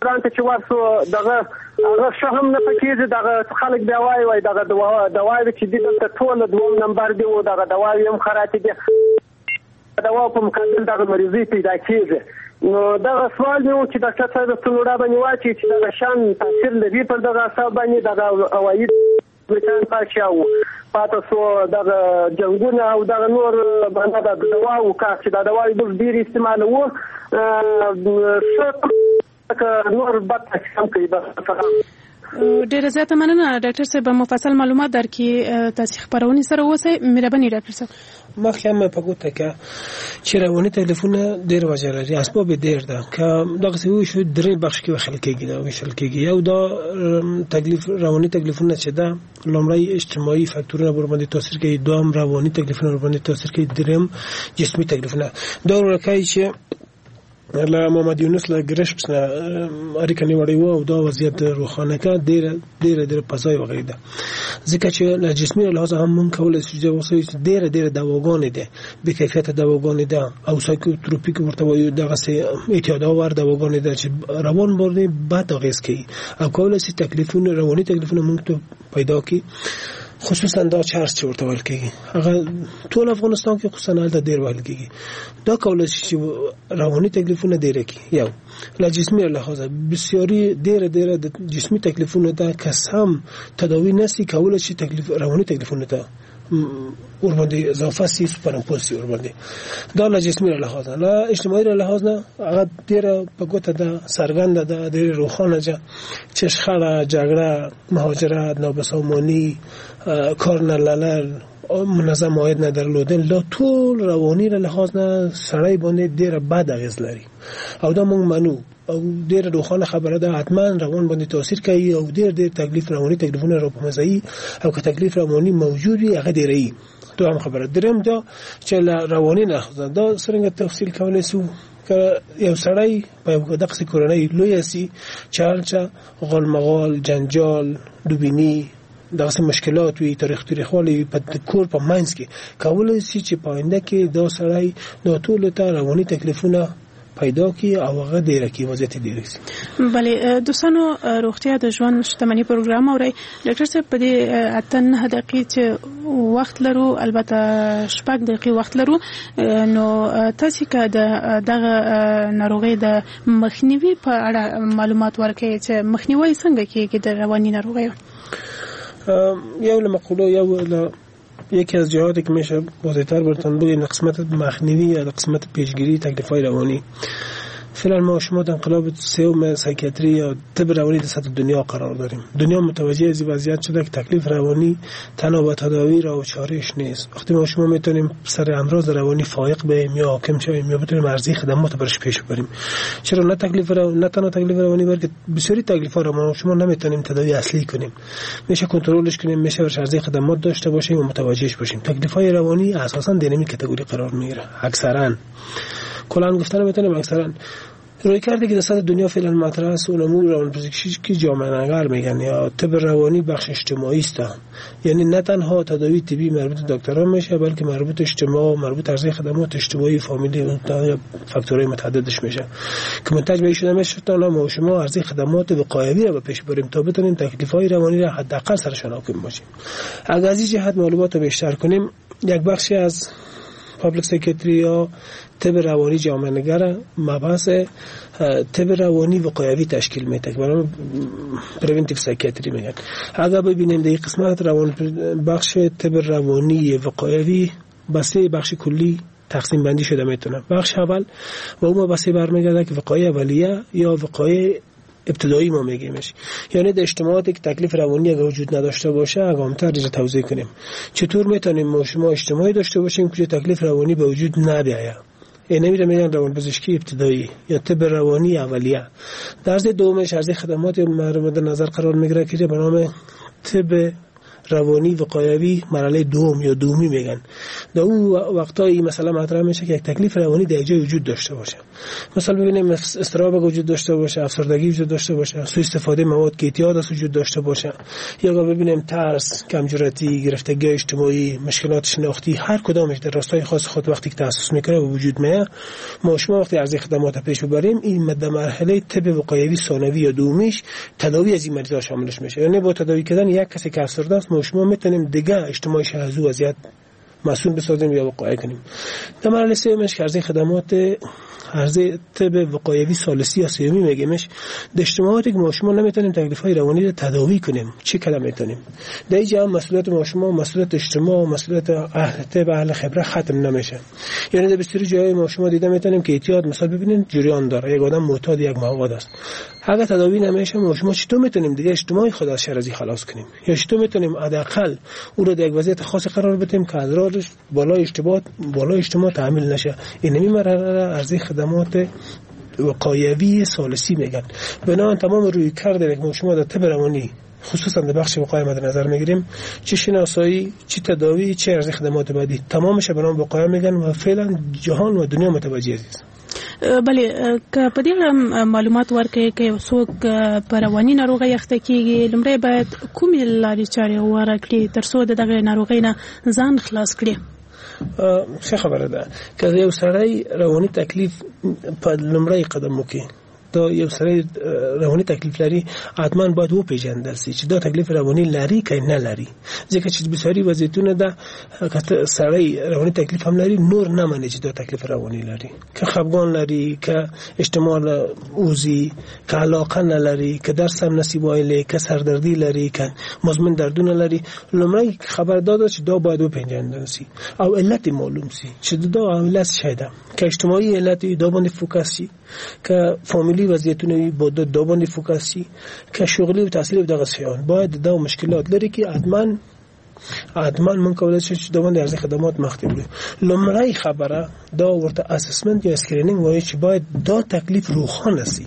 ایران ته چې ورسو دغه هغه ښه هم نه پکېږي. دغه خلک بیا وایي وایي دغه دواوې چې دي دلته ټوله دوم نمبر دي او دغه دواوې هم خرابې دي، دواو په مقابل دغه مریضي پیدا کېږي. نو دغه سوال مې و چې ډاکټر صاحب ستونوړه باندې واچوي چې دغه شان تاثیر لري پر دغه اعصاب باندې دغه هوایي مچان پاشي او پاتې شو دغه جنګونه او دغه نور باندې د دواو کار چې دا دواوې موږ ډېر استعمالوو، ښه نور بد تاثیر هم کوي. بس ډیره زیاته مننه ډاکټر صاحب، مفصل معلومات درکې تاسو خبرونې سره اوسئ. مهرباني ډاکټر صاحب. مخکې هم په ګوته که چې رواني تکلیفونه ډېر وجه لري، اسباب یې ډېر ده، که دغسې وشو درې بخش کې ویشل کېږي، دا ویشل کېږي. یو دا تکلیف رواني تکلیفونه چې ده، لومړی اجتماعي فاکتورونه ورباندې تاثیر کوي، دوهم رواني تکلیفونه ورباندې تاثیر کوي، دریم جسمي تکلیفونه. دا ورکوي چې له محمد یونس له ګرشک نه اړیکه نیولې وه او دا وضعیت روښانه کړه، ډېره ډېره ډېره په ځای وغږېده، ځکه چې له جسمي لحاظه هم مونږ کولی شو چې اوس ډېره ډېره دواګانې ده، بې کیفیته دواګانې ده او سایکوتروپیک ورته وایو، دغسې اعتیادآور دواګانې ده چې روان باندې بد اغېز کوي او کولی شي تکلیفونه رواني تکلیفونه مونږ ته پیدا کړي. خصوصا دا چرس چې ورته ویل کېږي، هغه ټول افغانستان کې خصوصا هلته ډېر ویل کېږي، دا کولی شي چې رواني تکلیفونه ډېر کړي. یو له جسمي لحاظه بسیاري ډېره ډېره د جسمي تکلیفونو ته که سم تداوي نه سي کولی شي تکلیف رواني تکلیفونو ته ورباندې اضافه سي، سوپرامپوز سي ورباندې. دا له جسمي لحاظه. له اجتماعي لحاظ نه هغه ډېره په ګوته ده، څرګنده ده، ډېره روښانه ده چې شخړه، جګړه، مهاجرت، نابسامانی، کار نه لرل، منظم عاید نه درلودل، دا ټول رواني لحاظ نه سړی باندې ډېره بد اغېز لري او دا موږ منو او ډېره روښانه خبره ده، حتما روان باندې تاثیر کوي او ډېر ډېر تکلیف رواني تکلیفونه را په منځ او که تکلیف رواني موجود وي هغه ډېروي. دوهم خبره. دریم دا چې له رواني نه دا څرنګه تفصیل کولی سو که یو سړی په یو دغسې کورنۍ لویه سي چې هلته غالمغال، جنجال، دوبیني، دغسې مشکلات وي، تاریخ تاریخوالی وي په کور په منځ کې، کولی سي چې په آینده کې دا سړی دا ټولو ته رواني تکلیفونه پیدا کی او هغه ډیره کی وضعیت ډیره سي. بله دوستانو، روغتیا د ژوند شتمني پروګرام اورئ. ډاکټر صاحب په دې اته نهه دقیقې چې وخت لرو، البته شپږ دقیقې وخت لرو، نو تاسو که د دغه ناروغۍ د مخنیوي په اړه معلومات ورکړئ چې مخنیوي څنګه کیږي د رواني ناروغیو؟ یو له مقولو، یو له یکی از جهاتی که میشه واضح‌تر براتون بگیم، قسمت مخنیوی یا قسمت پیشگیری تکلیف‌های روانی، فعلا ما شما در انقلاب سوم psychiatry یا طب روانی در سطح دنیا قرار داریم. دنیا متوجه از وضعیت شده که تکلیف روانی تنها با تداوی را و چارهش نیست. وقتی ما شما میتونیم سر امراض روانی فائق بیم یا حاکم شویم یا بتونیم عرضه خدمات برش پیش ببریم، چرا نه تکلیف رو... نه تنها تکلیف روانی بلکه بسیاری تکلیف ها رو ما شما نمیتونیم تداوی اصلی کنیم، میشه کنترلش کنیم، میشه برش عرضه خدمات داشته باشیم و متوجهش باشیم. تکلیف های روانی اساسا در این category قرار میگیره. اکثرا کلا گفتن میتونیم اکثرا روی کرده که در سطح دنیا فعلا مطرح است اون روانپزشکی که جامعه نگر میگن یا طب روانی بخش اجتماعی است، یعنی نه تنها تداوی طبی مربوط دکتران میشه بلکه مربوط اجتماع، مربوط عرضه خدمات اجتماعی، فامیلی یا فاکتورهای متعددش میشه که منتج به شده میشه تا ما شما عرضه خدمات وقایوی را به پیش بریم تا بتونیم تکلیف‌های روانی را حداقل سرشان حاکم باشیم. اگر از این جهت معلومات رو بیشتر کنیم، یک بخشی از public psychiatry یا طب روانی جامعه نگر مبحث طب روانی وقایوی تشکیل میده که برای preventive psychiatry میگن. اگر ببینیم در این قسمت روان بخش طب روانی وقایوی به سه بخش کلی تقسیم بندی شده میتونه. بخش اول و اون مبحث برمیگرده که وقایع اولیه یا وقایع ابتدایی ما میگیمش، یعنی در اجتماعاتی که تکلیف روانی اگر وجود نداشته باشه اگامتر را توضیح کنیم چطور میتونیم ما شما اجتماعی داشته باشیم که تکلیف روانی به وجود نبیاید. یعنی میره میگن روانپزشکی ابتدایی یا طب روانی اولیه. درس دومش عرضه خدمات مورد نظر قرار میگیره که به نام طب روانی وقایوی مرحله دوم یا دومی میگن. در اون وقتایی مثلا مطرح میشه که یک تکلیف روانی در جای وجود داشته باشه، مثلا ببینیم اضطراب وجود داشته باشه، افسردگی وجود داشته باشه، سوء استفاده مواد که اعتیاد است وجود داشته باشه، یا ببینیم ترس، کمجرتی، گرفتگی اجتماعی، مشکلات شناختی، هر کدامش در راستای خاص خود وقتی که تاسس میکنه و وجود میاد، ما شما وقتی عرضه خدمات پیش ببریم این مد مرحله طب وقایوی ثانوی یا دومیش تداوی از این مریضا شاملش میشه. یعنی با تداوی کردن یک کسی که افسرده است ما شما میتونیم دیگه اجتماعیش از او وضعیت مسئول بسازیم یا وقایع کنیم. در مرحله سومش که عرضه خدمات عرضه طب وقایوی ثالثی یا سومی میگیمش، در اجتماعاتی که ما شما نمیتونیم تکلیف‌های روانی رو تداوی کنیم چه کلمه میتونیم در اینجا مسئولیت ما شما، مسئولیت اجتماع، مسئولیت اهل طب، اهل خبره ختم نمیشه. یعنی در بسیاری جای ما شما دیده میتونیم که اعتیاد مثلا ببینید جریان داره، یک آدم معتاد یک مواد است، اگر تداوی نمیشه ما شما چطور میتونیم دیگه اجتماعی خود از شر خلاص کنیم یا چطور میتونیم حداقل او رو در یک وضعیت خاص قرار بدیم که اضرارش بالای اجتماع بالای اجتماع تحمیل نشه. این مرحله عرضه خدمات وقایوی ثالثی میگن. بنابراین تمام روی کرده که ما شما در طب روانی خصوصا در بخش وقایع مد نظر میگیریم، چه شناسایی، چه تداوی، چه عرضه خدمات بعدی، تمامش به نام وقایع میگن و فعلا جهان و دنیا متوجه است. بله، که په دې معلومات ورکړئ که یو څوک په رواني ناروغۍ اخته کیږي لومړی باید کومې لارې چارې غوره کړي ترڅو د دغې ناروغۍ نه ځان خلاص کړي؟ ښه خبره ده. که یو سړی رواني تکلیف په لومړی قدم وکړي، دا یو سړی رواني تکلیف لري، حتما باید وپیژندل سي چې دا تکلیف رواني لري که نه لري، ځکه چې بسیاری وضعیتونه ده که سړی رواني تکلیف هم لري نور نه مني چې دا تکلیف رواني لري، که خفګان لري، که اجتماع اوزي، که علاقه نه لري، که درس هم نسی ویلی، که سردردی لري، که مزمن دردونه لري. لومړی خبر دا ده چې دا باید وپیژندل سي او علت معلوم سي چې دا علت څه ده، که اجتماعي علت دا باندې focus شي، که فامیلی وضعیتونه وي با دا باندې focus شي، که شغلی او تحصیلی دغه شیان باید دا مشکلات لري که حتما حتما مونږ کولای شو چې دا باندې عرضه خدمات مخته وړو. لومړی خبره دا ورته assessment یا screening وایي چې باید دا تکلیف روښانه سي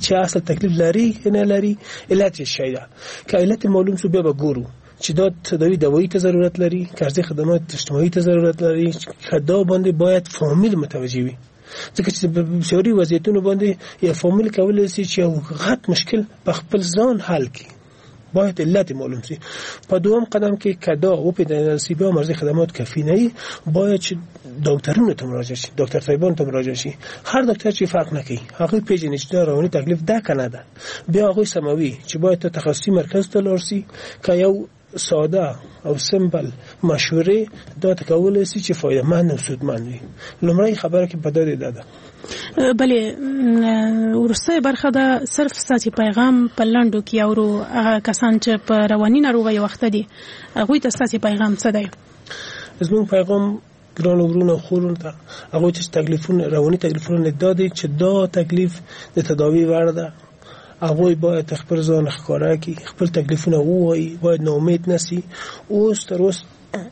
چې اصل تکلیف لري که نه لري، علت یې شی ده. که علت معلوم سو بیا به ګورو چې دا تداوی دوایی ته ضرورت لري، که عرضه خدمات اجتماعي ته ضرورت لري، که دا باندې باید فامیل متوجه وي، ځکه چې په بسیاری وضعیتونو باندې یا فامیل کولای شي چې یو غټ مشکل په خپل ځان حل کړي، باید علت معلوم سي. په دوم قدم کې که دا وپیژندل سي بیا مرزي خدمات کافي نه وي، باید چې ډاکټرونو ته مراجعه شي، ډاکټر صاحبانو ته مراجعه شي. هر ډاکټر چې فرق نه کوي هغه پیژني چې دا رواني تکلیف ده که نه ده، بیا هغوی سموي چې باید ته تخصصي مرکز ته لاړ سي که یو ساده او simple مشورې دا ته کولای سي چې فایدهمند او سودمند وي. لومړی خبره کې په دا ده. بله، وروستۍ برخه ده، صرف ستاسو پیغام په لنډو کې اورو. هغه کسان چې په رواني ناروغیو اخته دي هغوی ته ستاسو پیغام څه دی؟ زموږ پیغام ګرانو ورونو خورونو ته هغوی چې تکلیفونه رواني تکلیفونه دا دي چې دا تکلیف د تداوی وړ ده. هغوی باید خپل ځان ښکاره کړي، خپل تکلیفونه ووایي، باید ناامید نسی. اوس تر اوس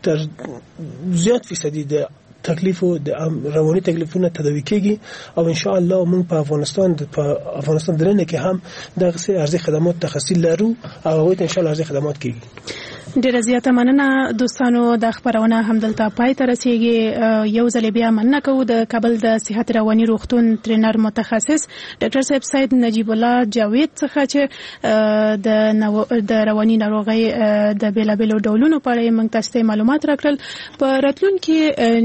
تر زیات فیصدي د تکلیفو د رواني تکلیفونه تداوی کیږي او ان شاء الله موږ په افغانستان په افغانستان درنه کې هم دغسې ارزي خدمات تخصصي لرو او هغوی ته ان شاء الله ارزي خدمات کیږي. ډیره زیاته مننه دوستانو، دا خبرونه هم دلته پای ته رسیږي. یو ځل بیا مننه کوو د کابل د صحت رواني روغتون ترینر متخصص ډاکټر صاحب سید نجیب الله جاوید څخه چې د د رواني ناروغۍ د بیلابیلو ډولونو په اړه موږ تاسو ته معلومات راکړل. په راتلونکي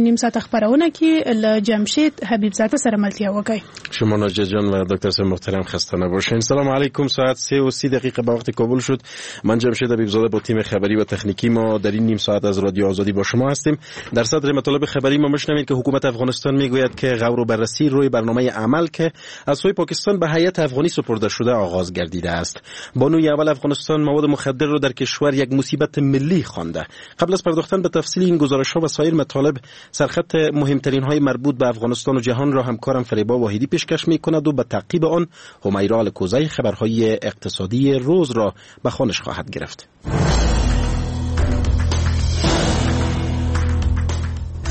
نیم ساعت خبرونه کې له جمشید حبیب زاده سره ملتیا وکړئ. شما ناجی جان و دکتر صاحب محترم خسته نباشین. سلام علیکم. ساعت سه و سی دقیقه به وقت کابل شد. من جمشید حبیب زاده با تیم خبری و تکنیکی ما در این نیم ساعت از رادیو آزادی با شما هستیم. در صدر مطالب خبری ما میشنوید که حکومت افغانستان میگوید که غور و بررسی روی برنامه عمل که از سوی پاکستان به هیئت افغانی سپرده شده آغاز گردیده است. بانوی اول افغانستان مواد مخدر را در کشور یک مصیبت ملی خوانده. قبل از پرداختن به تفصیل این گزارش ها و سایر مطالب، سرخط مهمترین های مربوط به افغانستان و جهان را همکارم فریبا واحدی پیشکش میکند و به تعقیب آن حمیرا الکوزی خبرهای اقتصادی روز را به خوانش خواهد گرفت.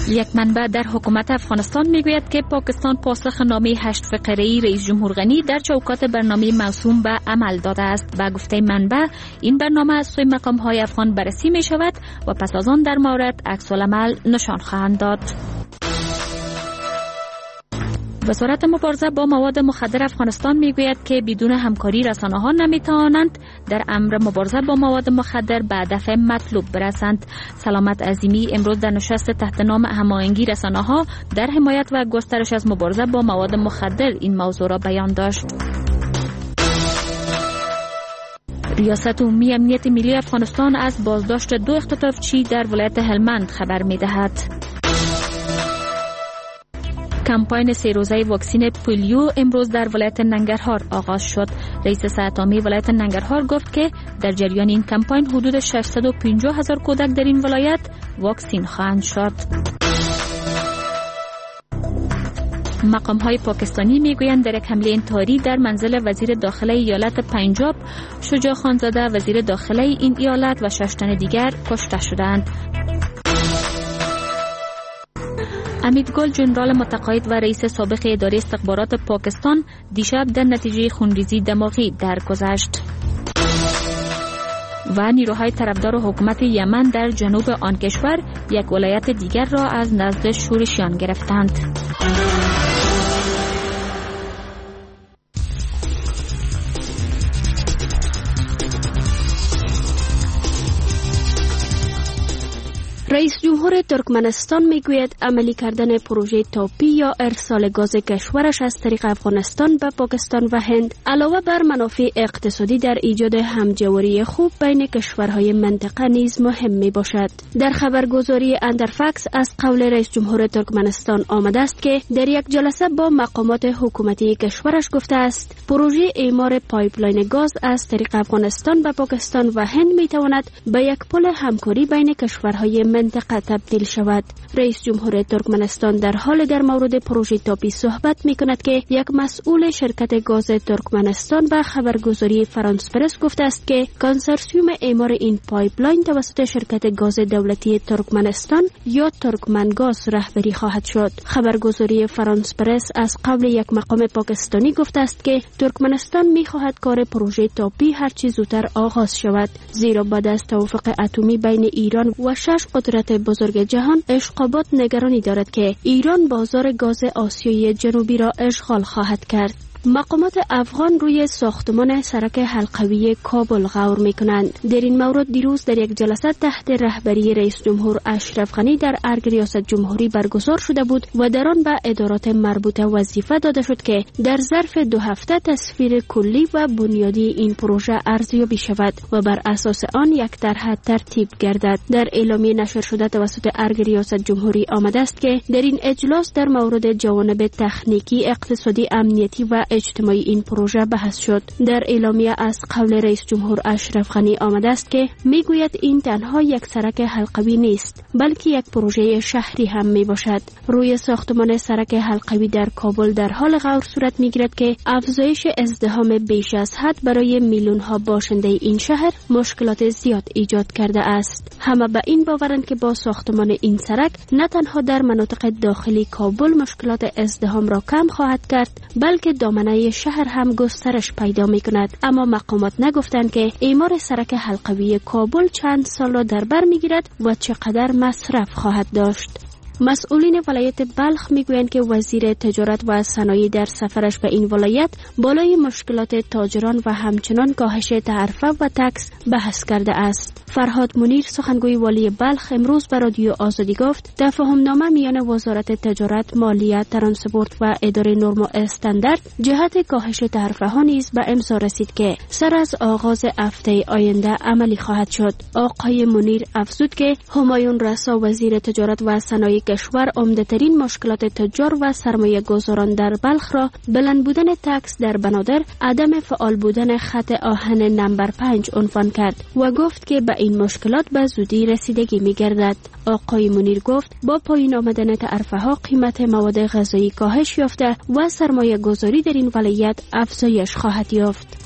یک منبع در حکومت افغانستان میگوید که پاکستان پاسخ نامه هشت فقره‌ای رئیس جمهور غنی در چوکات برنامه موسوم به عمل داده است. به گفته منبع این برنامه از سوی مقام‌های افغان بررسی می شود و پس از آن در مورد عکس العمل نشان خواهند داد. وزارت مبارزه با مواد مخدر افغانستان میگوید که بدون همکاری رسانه ها نمیتوانند در امر مبارزه با مواد مخدر به هدف مطلوب برسند. سلامت عظیمی امروز در نشست تحت نام هماهنگی رسانه ها در حمایت و گسترش از مبارزه با مواد مخدر این موضوع را بیان داشت. ریاست عمومی امنیت ملی افغانستان از بازداشت دو اختطافچی در ولایت هلمند خبر میدهد. کمپاین سه روزه واکسین پولیو امروز در ولایت ننگرهار آغاز شد. رئیس صحت عامه ولایت ننگرهار گفت که در جریان این کمپاین حدود ششصد و پنجاه هزار کودک در این ولایت واکسین خواهند شد. مقام های پاکستانی میگویند در یک حمله انتحاری در منزل وزیر داخله ایالت پنجاب، شجاع خانزاده وزیر داخله این ایالت و شش تن دیگر کشته شدند. امیدگل جنرال متقاعد و رئیس سابق اداره استخبارات پاکستان دیشب در نتیجه خونریزی دماغی درگذشت. و نیروهای طرفدار حکومت یمن در جنوب آن کشور یک ولایت دیگر را از نزد شورشیان گرفتند. رئیس جمهور ترکمنستان میگوید عملی کردن پروژه تاپی یا ارسال گاز کشورش از طریق افغانستان به پاکستان و هند علاوه بر منافع اقتصادی در ایجاد همجواری خوب بین کشورهای منطقه نیز مهم می باشد. در خبرگزاری اندرفکس از قول رئیس جمهور ترکمنستان آمده است که در یک جلسه با مقامات حکومتی کشورش گفته است پروژه اعمار پایپلاین گاز از طریق افغانستان به پاکستان و هند می تواند به یک پل همکاری بین کشورهای منطقه تبدیل شود. رئیس جمهور ترکمنستان در حال در مورد پروژه تاپی صحبت می کند که یک مسئول شرکت گاز ترکمنستان به خبرگزاری فرانس پرس گفته است که کنسرسیوم اعمار این پایپلاین توسط شرکت گاز دولتی ترکمنستان یا ترکمن گاز رهبری خواهد شد. خبرگزاری فرانس پرس از قول یک مقام پاکستانی گفته است که ترکمنستان می خواهد کار پروژه تاپی هرچی زودتر آغاز شود، زیرا بعد از توافق اتمی بین ایران و شش قدرت بزرگ جهان، اشقابات نگرانی دارد که ایران بازار گاز آسیای جنوبی را اشغال خواهد کرد. مقامات افغان روی ساختمان سرک حلقوی کابل غور می کنند. در این مورد دیروز در یک جلسه تحت رهبری رئیس جمهور اشرف غنی در ارگ ریاست جمهوری برگزار شده بود و در آن به ادارات مربوطه وظیفه داده شد که در ظرف دو هفته تصویر کلی و بنیادی این پروژه ارزیابی شود و بر اساس آن یک طرح ترتیب گردد. در اعلامیه نشر شده توسط ارگ ریاست جمهوری آمده است که در این اجلاس در مورد جوانب تکنیکی، اقتصادی، امنیتی و اجتماعی این پروژه بحث شد. در اعلامیه از قول رئیس جمهور اشرف غنی آمده است که میگوید این تنها یک سرک حلقوی نیست، بلکه یک پروژه شهری هم می باشد. روی ساختمان سرک حلقوی در کابل در حال غور صورت می گیرد که افزایش ازدحام بیش از حد برای میلیون ها باشنده این شهر مشکلات زیاد ایجاد کرده است. همه به این باورند که با ساختمان این سرک نه تنها در مناطق داخلی کابل مشکلات ازدحام را کم خواهد کرد، بلکه دامنه شهر هم گسترش پیدا می کند. اما مقامات نگفتند که اعمار سرک حلقوی کابل چند سال را در بر می گیرد و چقدر مصرف خواهد داشت. مسئولین ولایت بلخ میگویند که وزیر تجارت و صنایع در سفرش به این ولایت بالای مشکلات تاجران و همچنان کاهش تعرفه و تکس بحث کرده است. فرهاد منیر، سخنگوی والی بلخ، امروز به رادیو آزادی گفت تفاهم نامه میان وزارت تجارت، مالیه، ترانسپورت و اداره نرم و استاندارد جهت کاهش تعرفه ها نیز به امضا رسید که سر از آغاز هفته آینده عملی خواهد شد. آقای منیر افزود که همایون رسا، وزیر تجارت و صنایع کشور، عمده‌ترین مشکلات تجار و سرمایه گذاران در بلخ را بلند بودن تکس در بنادر، عدم فعال بودن خط آهن نمبر پنج عنوان کرد و گفت که به این مشکلات به زودی رسیدگی می‌گردد. آقای منیر گفت با پایین آمدن تعرفه ها قیمت مواد غذایی کاهش یافته و سرمایه گذاری در این ولایت افزایش خواهد یافت.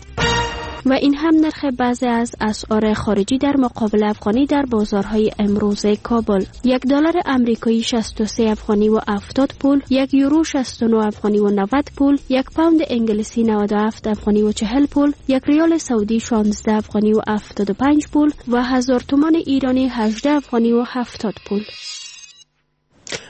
و این هم نرخ بعضی از اسعار خارجی در مقابل افغانی در بازارهای امروز کابل: یک دلار امریکایی شصت و سه افغانی و هفتاد پول، یک یورو شصت و نه افغانی و نود پول، یک پوند انگلیسی نود و هفت افغانی و چهل پول، یک ریال سعودی شانزده افغانی و هفتاد و پنج پول و هزار تومان ایرانی هجده افغانی و هفتاد پول.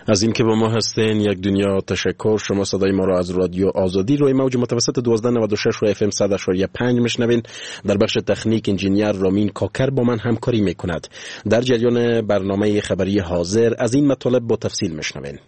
از این که با ما هستین یک دنیا تشکر. شما صدای ما را از رادیو آزادی روی موج متوسط دوازده نود و شش و اف ام صد و پنج میشنوین. در بخش تکنیک انجینیر رامین کاکر با من همکاری میکند. در جریان برنامه خبری حاضر از این مطالب با تفصیل میشنوین.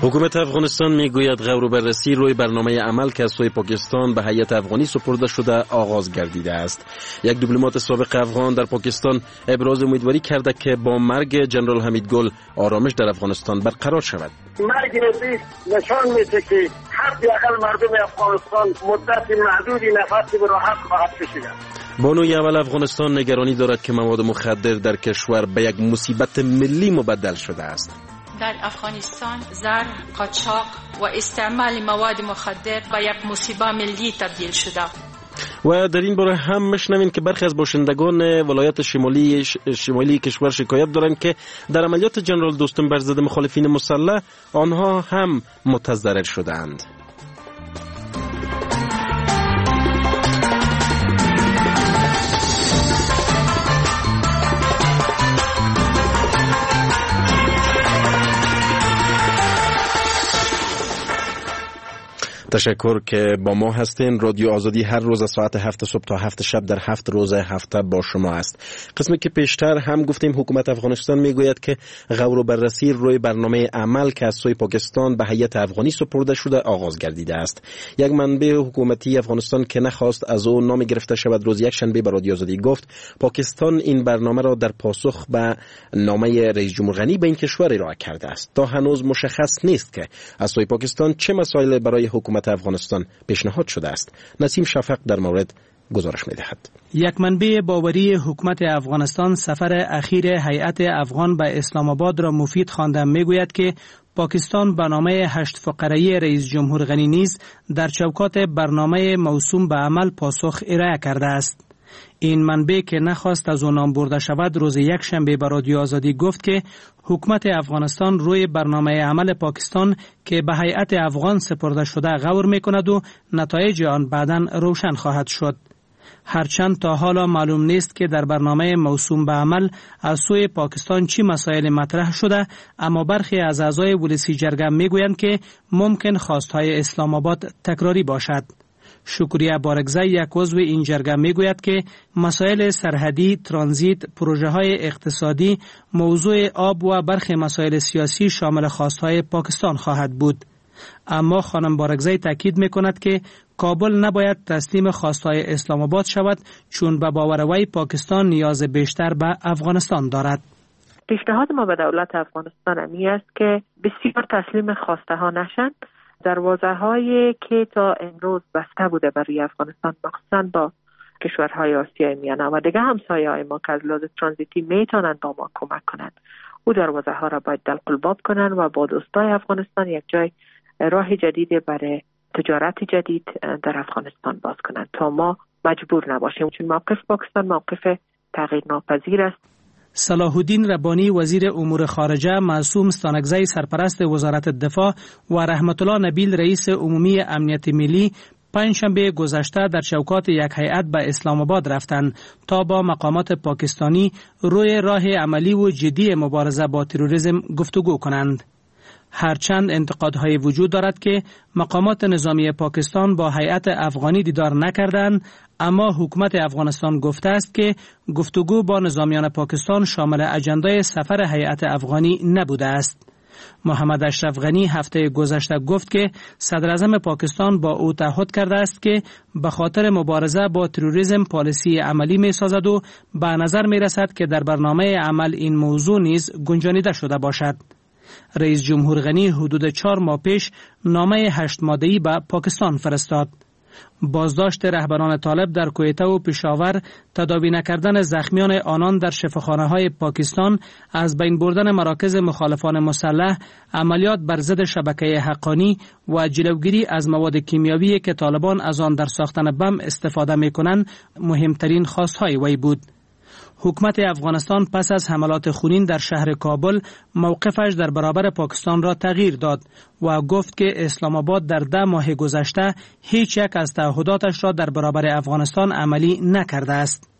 حکومت افغانستان میگوید غور و بررسی روی برنامه عمل که از سوی پاکستان به هیئت افغانی سپرده شده آغاز گردیده است. یک دیپلمات سابق افغان در پاکستان ابراز امیدواری کرده که با مرگ جنرال حمید گل آرامش در افغانستان برقرار شود. مرگ ازی نشان میده که حداقل مردم افغانستان مدت محدودی نفس به راحت خواهد کشید. بانوی اول افغانستان نگرانی دارد که مواد مخدر در کشور به یک مصیبت ملی مبدل شده است. در افغانستان زر، قاچاق و استعمال مواد مخدر به یک مصیبه ملی تبدیل شده. و در این باره هم میشنویم که برخی از باشندگان ولایت شمالی شمالی کشور شکایت دارند که در عملیات جنرال دوستم بر ضد مخالفین مسلح آنها هم متضرر شدند. تشکر که با ما هستین. رادیو آزادی هر روز از ساعت هفت صبح تا هفت شب در هفت روز هفته با شما است. قسمی که پیشتر هم گفتیم، حکومت افغانستان میگوید که غور و بررسی روی برنامه عمل که از سوی پاکستان به هیئت افغانی سپرده شده آغاز گردیده است. یک منبع حکومتی افغانستان که نخواست از او نام گرفته شود روز یک شنبه به رادیو آزادی گفت پاکستان این برنامه را در پاسخ به نامه رئیس جمهور غنی به این کشور ارائه کرده است. تا هنوز مشخص نیست که از سوی پاکستان چه مسائل برای حکومت افغانستان پیشنهاد شده است. نسیم شفق در مورد گزارش می‌دهد. یک منبع باوری حکومت افغانستان سفر اخیر هیئت افغان به اسلام آباد را مفید خوانده میگوید که پاکستان به نامه هشت فقره‌ای رئیس جمهور غنی نیز در چوکات برنامه موسوم به عمل پاسخ ارائه کرده است. این منبع که نخواست از او نام برده شود روز یک شنبه به رادیو آزادی گفت که حکومت افغانستان روی برنامه عمل پاکستان که به هیئت افغان سپرده شده غور میکند و نتایج آن بعداً روشن خواهد شد. هرچند تا حالا معلوم نیست که در برنامه موسوم به عمل از سوی پاکستان چی مسائل مطرح شده، اما برخی از اعضای ولسی جرگه میگویند که ممکن خواستهای اسلام آباد تکراری باشد. شکریه بارکزی یک عضو این جرگه میگوید که مسائل سرحدی، ترانزیت، پروژه های اقتصادی، موضوع آب و برخی مسائل سیاسی شامل خواستهای پاکستان خواهد بود. اما خانم بارکزی تاکید میکند که کابل نباید تسلیم خواستهای اسلام آباد شود، چون به باور وی پاکستان نیاز بیشتر به افغانستان دارد. پیشنهاد ما به دولت افغانستان امی است که بسیار تسلیم خواسته ها نشند. دروازه هایی که تا امروز بسته بوده برای افغانستان، مخصوصا با کشورهای آسیای میانه و دیگه همسایه های ما که از لحاظ ترانزیتی میتونند با ما کمک کنند، او دروازه ها را باید دلقلباب کنند و با دوستای افغانستان یک جای راه جدید برای تجارت جدید در افغانستان باز کنند تا ما مجبور نباشیم، چون موقف پاکستان موقف تغییر ناپذیر است. صلاح الدین ربانی وزیر امور خارجه، معصوم ستانکزی سرپرست وزارت دفاع و رحمت الله نبیل رئیس عمومی امنیت ملی پنجشنبه گذشته در چوکات یک هیئت به اسلام آباد رفتند تا با مقامات پاکستانی روی راه عملی و جدی مبارزه با تروریسم گفتگو کنند. هرچند انتقادهای وجود دارد که مقامات نظامی پاکستان با هیئت افغانی دیدار نکردند، اما حکومت افغانستان گفته است که گفتگو با نظامیان پاکستان شامل اجندای سفر هیئت افغانی نبوده است. محمد اشرف غنی هفته گذشته گفت که صدر اعظم پاکستان با او تعهد کرده است که به خاطر مبارزه با تروریسم پالیسی عملی می سازد و به نظر می رسد که در برنامه عمل این موضوع نیز گنجانیده شده باشد. رئیس جمهور غنی حدود چهار ماه پیش نامه هشت ماده‌ای به پاکستان فرستاد. بازداشت رهبران طالب در کویته و پشاور، تداوی نکردن زخمیان آنان در شفاخانه های پاکستان، از بین بردن مراکز مخالفان مسلح، عملیات بر ضد شبکه حقانی و جلوگیری از مواد کیمیاوی که طالبان از آن در ساختن بم استفاده می کنند مهمترین خواستهای وی بود. حکومت افغانستان پس از حملات خونین در شهر کابل موقفش در برابر پاکستان را تغییر داد و گفت که اسلام آباد در ده ماه گذشته هیچ یک از تعهداتش را در برابر افغانستان عملی نکرده است.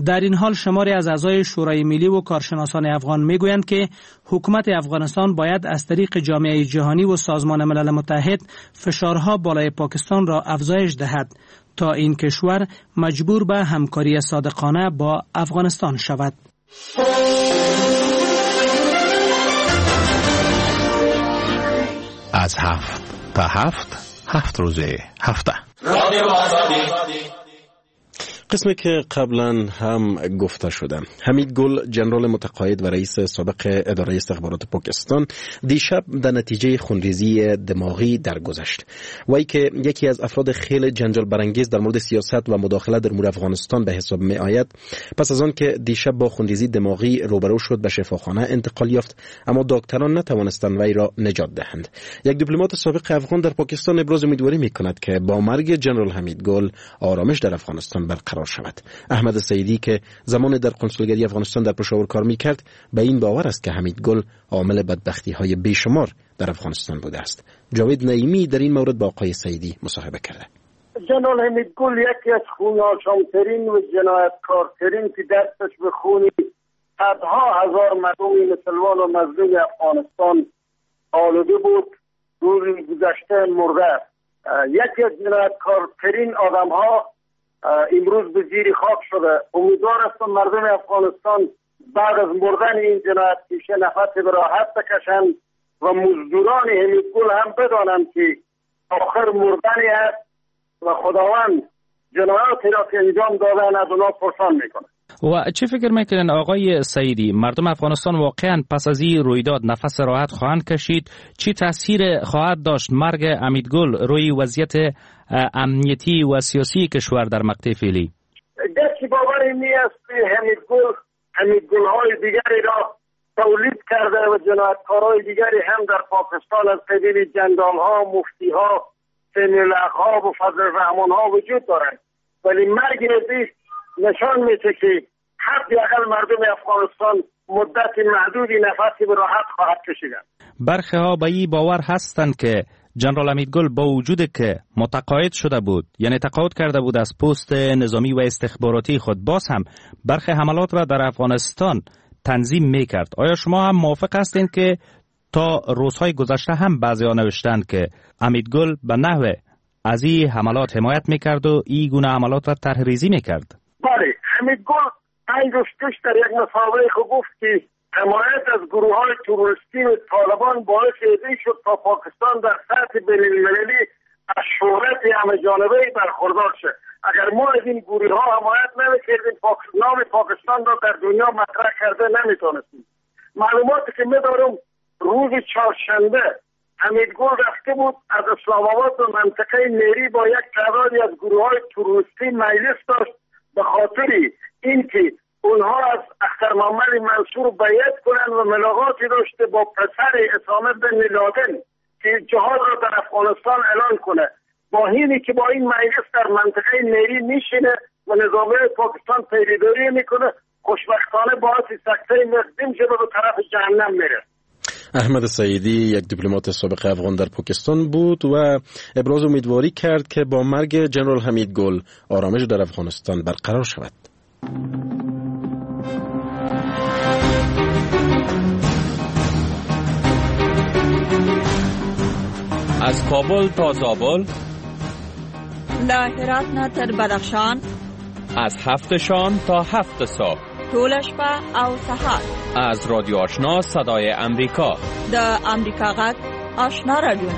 در این حال شماری از اعضای شورای ملی و کارشناسان افغان میگویند که حکومت افغانستان باید از طریق جامعه جهانی و سازمان ملل متحد فشارها بالای پاکستان را افزایش دهد تا این کشور مجبور به همکاری صادقانه با افغانستان شود. از هفت تا هفت، هفت روزه هفته. قسمی که قبلا هم گفته شده، حمید گل جنرال متقاعد و رئیس سابق اداره استخبارات پاکستان دیشب در نتیجه خونریزی دماغی درگذشت. وی که یکی از افراد خیلی جنجال برانگیز در مورد سیاست و مداخله در امور افغانستان به حساب می آید، پس از آن که دیشب با خونریزی دماغی روبرو شد به شفاخانه انتقال یافت، اما دکتران نتوانستند وی را نجات دهند. یک دیپلمات سابق افغان در پاکستان ابراز امیدواری می کند که با مرگ جنرال حمید گل آرامش در افغانستان برقرار شود. احمد سعیدی که زمان در کنسولگری افغانستان در پشاور کار میکرد به این باور است که حمید گل عامل بدبختی های بیشمار در افغانستان بوده است. جاوید نعیمی در این مورد با آقای سعیدی مصاحبه کرده. جنرال حمید گل یکی از خون‌آشام‌ترین و جنایتکارترین که دستش به خون صدها هزار مردم مسلمان و مظلوم افغانستان آلوده بود، روز گذشته مرده. یکی از جنایتکارترین آدم‌ها امروز به زیر خاک شده. امیدوار هستم مردم افغانستان بعد از مردن این جنایت پیشه نفس به راحت بکشند و مزدوران حمید گل هم بدانند که آخر مردنی است و خداوند جنایاتی را که انجام دادن از اونا پرسان میکنه. و چه فکر میکنن آقای سعیدی، مردم افغانستان واقعا پس از این رویداد نفس راحت خواهند کشید؟ چه تاثیر خواهد داشت مرگ حمید گل روی وضعیت امنیتی و سیاسی کشور در مقطع فعلی؟ گرچه باور این است که حمید گل حمید گل های دیگری را تولید کرده و جنایتکارهای دیگری هم در پاکستان از قبیل جنرال ها، مفتی ها، سمیع ها و فضل الرحمن ها وجود دارند، ولی مرگ ازی نشان میده که حداقل مردم افغانستان مدت محدودی نفسی به راحت خواهد کشیدن. برخی ها به این باور هستند که جنرال حمید گل با وجود که متقاعد شده بود، یعنی تقاعد کرده بود از پست نظامی و استخباراتی خود، باز هم برخی حملات را در افغانستان تنظیم میکرد. آیا شما هم موافق هستید که تا روزهای گذشته هم بعضی ها نوشتند که حمید گل به نحو از این حملات حمایت میکرد و این گونه حملات را طرح ریزی میکرد؟ بله، حمید گل پنج روز پیش در یک مصاحبه خود گفت که حمایت از گروه های تروریستی و طالبان باعث این شد تا پاکستان در سطح بین المللی از شهرت همه جانبه برخوردار شد. اگر ما از این گروه ها حمایت نمی‌کردیم، نام پاکستان را در دنیا مطرح کرده نمیتونستیم. معلوماتی که می‌دارم روز چهارشنبه حمیدگل رفته بود از اسلام آباد به منطقه میری با یک تعدادی از گروه های تروریستی مجلس داشت، به خاطر اینکه اونها از اختر محمد منصور بیعت کنند و ملاقاتی داشته با پسر اسامه بن لادن که جهاد را در افغانستان اعلان کنه. با اینی که با این مجلس در منطقه میری میشینه و نظام پاکستان پیروی میکنه، خوشبختانه باعث سکته مقدم شده به طرف جهنم میره. احمد سعیدی یک دیپلمات سابق افغان در پاکستان بود و ابراز امیدواری کرد که با مرگ جنرال حمید گل آرامش در افغانستان برقرار شود. از کابل تا زابل، له هرات نه تر بدخشان، از هفت شام تا هفت صبح، ټوله شپه او سهار، از رادیو آشنا صدای امریکا، د امریکا غږ آشنا رادیو.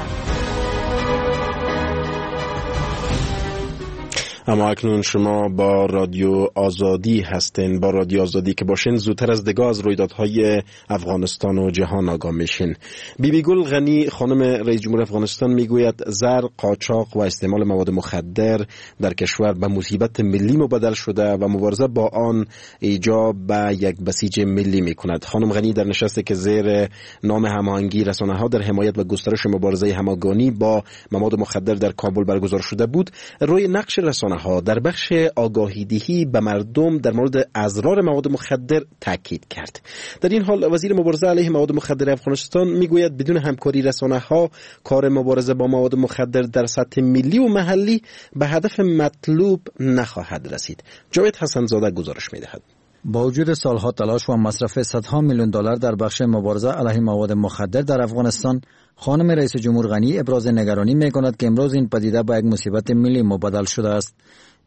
اما اکنون شما با رادیو آزادی هستین. با رادیو آزادی که باشین زودتر از دیگه از رویدادهای افغانستان و جهان آگاه میشین. بیبی گل غنی خانم رئیس جمهور افغانستان میگوید زر، قاچاق و استعمال مواد مخدر در کشور به مصیبت ملی مبدل شده و مبارزه با آن ایجاب به یک بسیج ملی میکند. خانم غنی در نشستی که زیر نام هماهنگی رسانه ها در حمایت و گسترش مبارزه همگانی با مواد مخدر در کابل برگزار شده بود، روی نقش رسانه ها در بخش آگاهی دهی به مردم در مورد اضرار مواد مخدر تاکید کرد. در این حال وزیر مبارزه علیه مواد مخدر افغانستان میگوید بدون همکاری رسانه ها کار مبارزه با مواد مخدر در سطح ملی و محلی به هدف مطلوب نخواهد رسید. جاوید حسن زاده گزارش میدهد. با وجود سالها تلاش و مصرف صدها میلیون دلار در بخش مبارزه علیه مواد مخدر در افغانستان، خانم رئیس جمهور غنی ابراز نگرانی میکند که امروز این پدیده به یک مصیبت ملی مبدل شده است.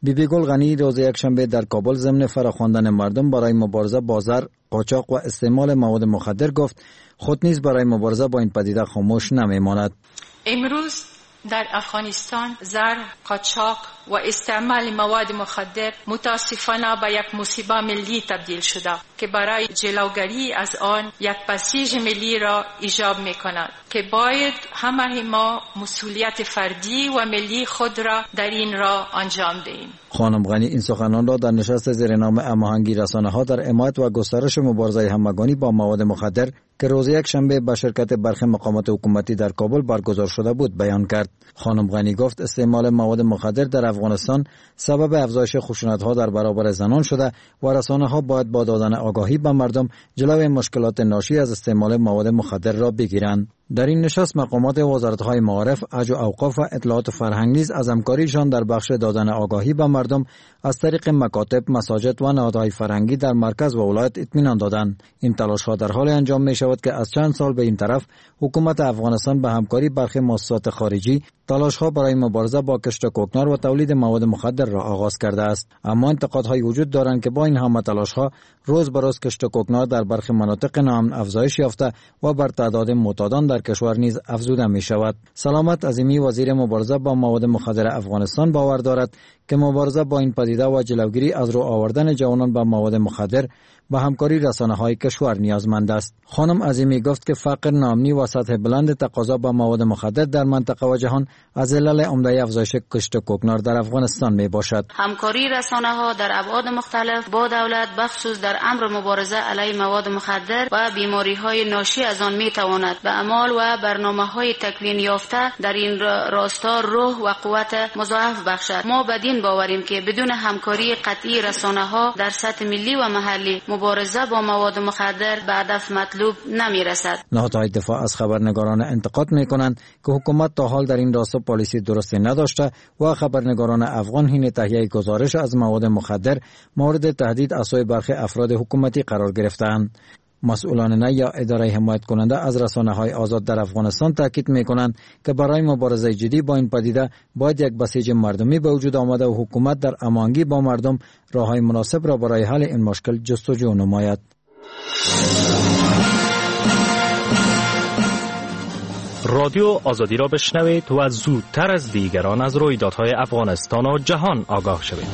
بیبی گل غنی روز یکشنبه در کابل ضمن فراخواندن مردم برای مبارزه با زر، قاچاق و استعمال مواد مخدر گفت خود نیز برای مبارزه با این پدیده خاموش نمیماند. امروز در افغانستان زر، قاچاق و استعمال مواد مخدر متاسفانه به یک مصیبه ملی تبدیل شده که برای جلوگیری از آن یک بسیج ملی را ایجاب می کند که باید همه ما مسئولیت فردی و ملی خود را در این راه انجام دهیم. خانم غنی این سخنان را در نشست زیر نام هماهنگی رسانه ها در حمایت و گسترش مبارزه همگانی با مواد مخدر که روز یکشنبه با شرکت برخی مقامات حکومتی در کابل برگزار شده بود بیان کرد. خانم غنی گفت استعمال مواد مخدر در افغانستان سبب افزایش خشونت‌ها در برابر زنان شده و رسانه‌ها باید با دادن آگاهی به مردم جلوی مشکلات ناشی از استعمال مواد مخدر را بگیرند. در این نشست مقامات وزارت‌های معارف، حج و اوقاف و اطلاعات و فرهنگ نیز از همکاریشان در بخش دادن آگاهی به مردم از طریق مکاتب، مساجد و نهادهای فرهنگی در مرکز و ولایت اطمینان دادند. این تلاش‌ها در حال انجام می‌شود که از چند سال به این طرف حکومت افغانستان به همکاری برخی مؤسسات خارجی تلاش‌ها برای مبارزه با کشت کوکنار و تولید مواد مخدر را آغاز کرده است. اما انتقادهای وجود دارند که با این همه تلاش‌ها روز به روز کشت کوکنار در برخی مناطق ناامن افزایش یافته و بر تعداد معتادان در کشور نیز افزوده می شود. سلامت عظیمی وزیر مبارزه با مواد مخدر افغانستان باور دارد که مبارزه با این پدیده و جلوگیری از رو آوردن جوانان به مواد مخدر به همکاری رسانه‌های کشور نیازمند است. خانم عظیمی گفت که فقر، ناامنی و سطح بلند تقاضا به مواد مخدر در منطقه و جهان از علل عمده افزایش کشت کوکنار در افغانستان می باشد. همکاری رسانه‌ها در ابعاد مختلف با دولت بخصوص در امر مبارزه علیه مواد مخدر و بیماری‌های ناشی از آن می تواند به اعمال و برنامه‌های تکوین یافته در این راستا روح و قوت مضاعف بخشد. ما بدین باوریم که بدون همکاری قطعی رسانه‌ها در سطح ملی و محلی مبارزه با مواد مخدر به هدف مطلوب نمی‌رسد. نهادهای دفاع از خبرنگاران انتقاد می‌کنند که حکومت تا حال در این راستا پالیسی درستی نداشته و خبرنگاران افغان حین تهیه گزارش از مواد مخدر مورد تهدید از سوی برخی افراد حکومتی قرار گرفته‌اند. مسئولان نه یا اداره حمایت کننده از رسانه های آزاد در افغانستان تاکید می کنند که برای مبارزه جدی با این پدیده باید یک بسیج مردمی به وجود آمده و حکومت در هماهنگی با مردم راه های مناسب را برای حل این مشکل جستجو نماید. رادیو آزادی را بشنوید و زودتر از دیگران از رویدادهای افغانستان و جهان آگاه شوید.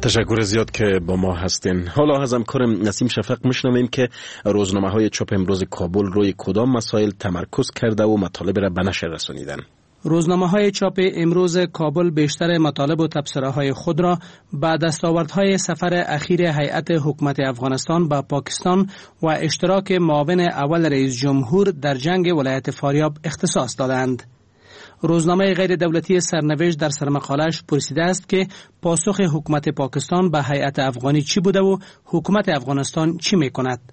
تشکر زیاد که با ما هستین. حالا از همکارم نسیم شفق میشنویم که روزنامه های چاپ امروز کابل روی کدام مسائل تمرکز کرده و مطالب را به نشر رسانیدن. روزنامه های چاپ امروز کابل بیشتر مطالب و تبصره های خود را به دستاوردهای سفر اخیر هیئت حکومت افغانستان به پاکستان و اشتراک معاون اول رئیس جمهور در جنگ ولایت فاریاب اختصاص دادند. روزنامه غیر دولتی سرنوشت در سرمقاله‌اش پرسیده است که پاسخ حکومت پاکستان به هیئت افغانی چی بوده و حکومت افغانستان چی میکند.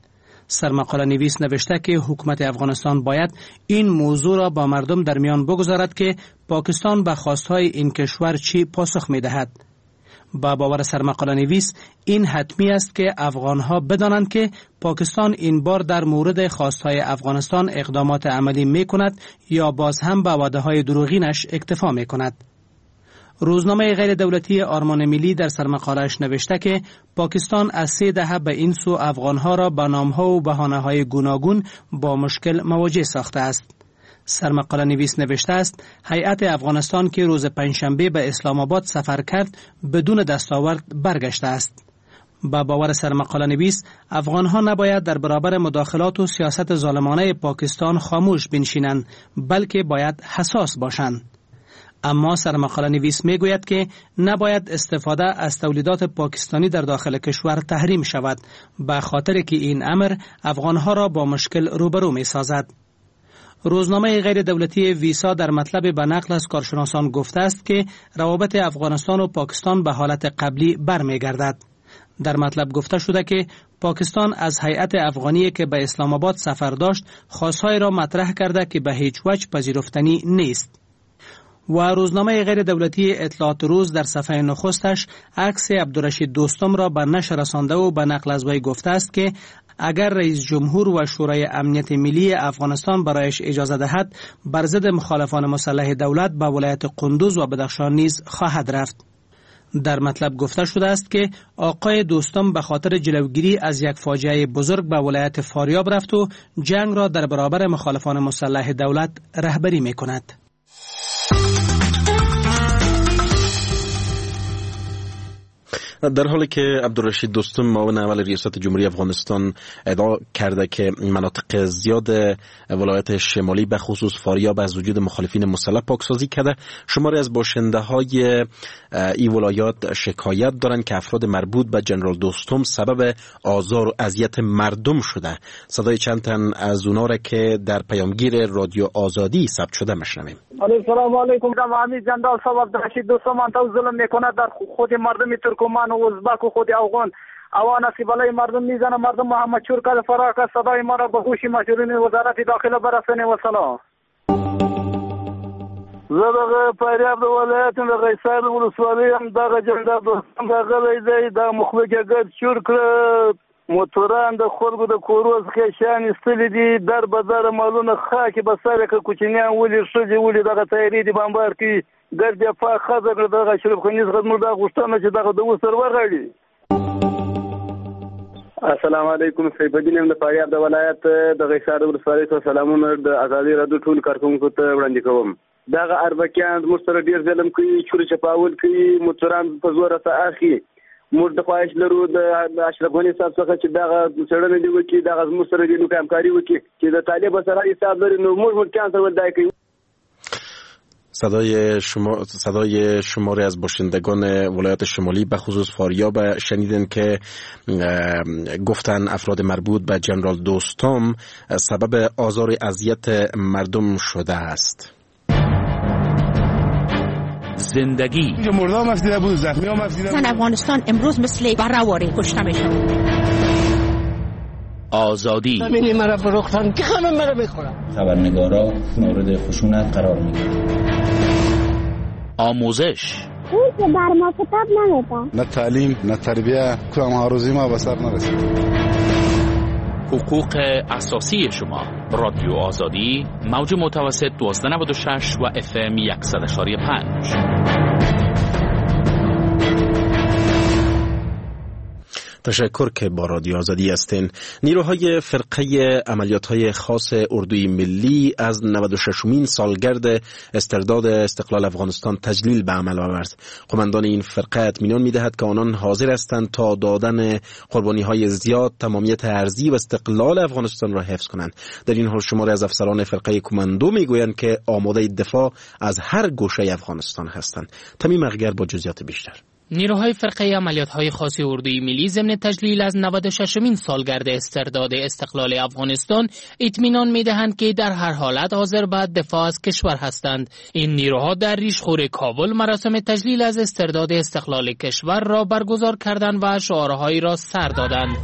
سرمقاله نویس نوشته که حکومت افغانستان باید این موضوع را با مردم در میان بگذارد که پاکستان به خواستهای این کشور چی پاسخ میدهد. با باور سرمقاله نویس این حتمی است که افغانها بدانند که پاکستان این بار در مورد خواستهای افغانستان اقدامات عملی می کند یا باز هم به وعده های دروغینش اکتفا می کند. روزنامه غیر دولتی آرمان ملی در سرمقاله‌اش نوشته که پاکستان از سه دهه به این سو افغانها را به نامها و بهانه‌های گوناگون با مشکل مواجه ساخته است. سرمقاله نویس نوشته است هیئت افغانستان که روز پنجشنبه به اسلام آباد سفر کرد بدون دستاورد برگشته است. با باور سرمقاله نویس افغانها نباید در برابر مداخلات و سیاست ظالمانه پاکستان خاموش بنشینند، بلکه باید حساس باشند. اما سرمقاله نویس میگوید که نباید استفاده از تولیدات پاکستانی در داخل کشور تحریم شود، به خاطر که این امر افغانها را با مشکل روبرو می سازد. روزنامه غیر دولتی ویسا در مطلب به نقل از کارشناسان گفته است که روابط افغانستان و پاکستان به حالت قبلی برمیگردد. در مطلب گفته شده که پاکستان از هیئت افغانی که به اسلام آباد سفر داشت خواستهای را مطرح کرده که به هیچ وجه پذیرفتنی نیست. و روزنامه غیر دولتی اطلاعات روز در صفحه نخستش عکس عبدالرشید دوستم را به نشر رسانده و به نقل از وی گفته است که اگر رئیس جمهور و شورای امنیت ملی افغانستان برایش اجازه دهد بر ضد مخالفان مسلح دولت به ولایت قندوز و بدخشان نیز خواهد رفت. در مطلب گفته شده است که آقای دوستم به خاطر جلوگیری از یک فاجعه بزرگ به ولایت فاریاب رفت و جنگ را در برابر مخالفان مسلح دولت رهبری می کند. در حالی که عبدالرشید دوستم معاون اول ریاست جمهوری افغانستان ادعا کرده که مناطق زیاد ولایت شمالی به خصوص فاریاب از وجود مخالفین مسلح پاکسازی کرده، شماری از باشنده های این ولایات شکایت دارند که افراد مربوط به جنرال دوستم سبب آزار و اذیت مردم شده. صدای چند تن از اونا را که در پیامگیر رادیو آزادی ثبت شده میشنویم. السلام علیکم. امیر جنرال صاحب عبدالرشید دوستم ظلم میکنه در خود مردم ترکمان و ازبک و خود افغان اوان بالای مردم میزنه، مردم محمد چور کرده فرار کرد. صدای ما را به گوش مسئولین وزارت داخله برسانه و سلام. زه دغه فاریاب د ولایت د قیصار ولسوالۍ یم. دغه جنرال دوستم راغلی دی، دا مخلوق یې ګرد چور کړه، موټران د خلکو د کورو څخه یې شیان ایستلي دي، در به در مالونه خاکې به سر یې کړه، کوچنیان ولي، ښځې ولي، دغه تیارې دي بمبار کوي، ګرد یې پاک ښځه کړه. دغه اشرف غني څخه زموږ دا غوښتنه چې دغه د اوس سر وغاړي. السلام علیکم، سیف الدین یم د فاریاب د ولایت د قیصار ولسوالۍ څخه سلامونه د ازادي راډیو ټولو کارکوونکو ته وړاندې کوم. دغه اربکیان زموږ سره ډېر ظلم کوي، چور چپاول کوي، موټران په زوره څه اخلي. موږ د خواهش لرو د اشرف غني صاحب څخه چې دغه څېړنه دې وکړي، دغه زموږ سره دې نو همکاري وکړي چې د طالب سره حساب لري، نو موږ ملکیان سره ولې دا کوي. صدای شما صدای شماری از باشندگان ولایت شمالی به خصوص فاریاب شنیدن که گفتن افراد مربوط به جنرال دوستم سبب آزار اذیت مردم شده است. زندگی زن افغانستان امروز مثل براواری کشته میشه. آزادی زمینی مرا فروختن که خانم مرا بخورم. خبرنگارا مورد خشونت قرار میگیرند. آموزش اون که بر ما کتاب نمیدن، نه تعلیم نه تربیه، کدام آرزوی ما به سر نرسید. حقوق اساسی شما. رادیو آزادی، موج متوسط دوازده نود و شش و اف ام صد و پنج. تشکر که با رادیو آزادی هستین. نیروهای فرقه عملیات‌های خاص اردوی ملی از نود و ششمین سالگرد استرداد استقلال افغانستان تجلیل به عمل آورد. قماندان این فرقه اطمینان می‌دهد که آنان حاضر هستند تا دادن قربانی‌های زیاد تمامیت ارضی و استقلال افغانستان را حفظ کنند. در این حال شماری از افسران فرقه کماندو می‌گویند که آماده دفاع از هر گوشه افغانستان هستند. تمیم اغگر با جزئیات بیشتر. نیروهای فرقه عملیات‌های خاص اردوی ملی ضمن تجلیل از نود و ششمین سالگرد استرداد استقلال افغانستان اطمینان می‌دهند که در هر حالت حاضر به دفاع از کشور هستند. این نیروها در ریشخور کابل مراسم تجلیل از استرداد استقلال کشور را برگزار کردند و شعارهایی را سر دادند.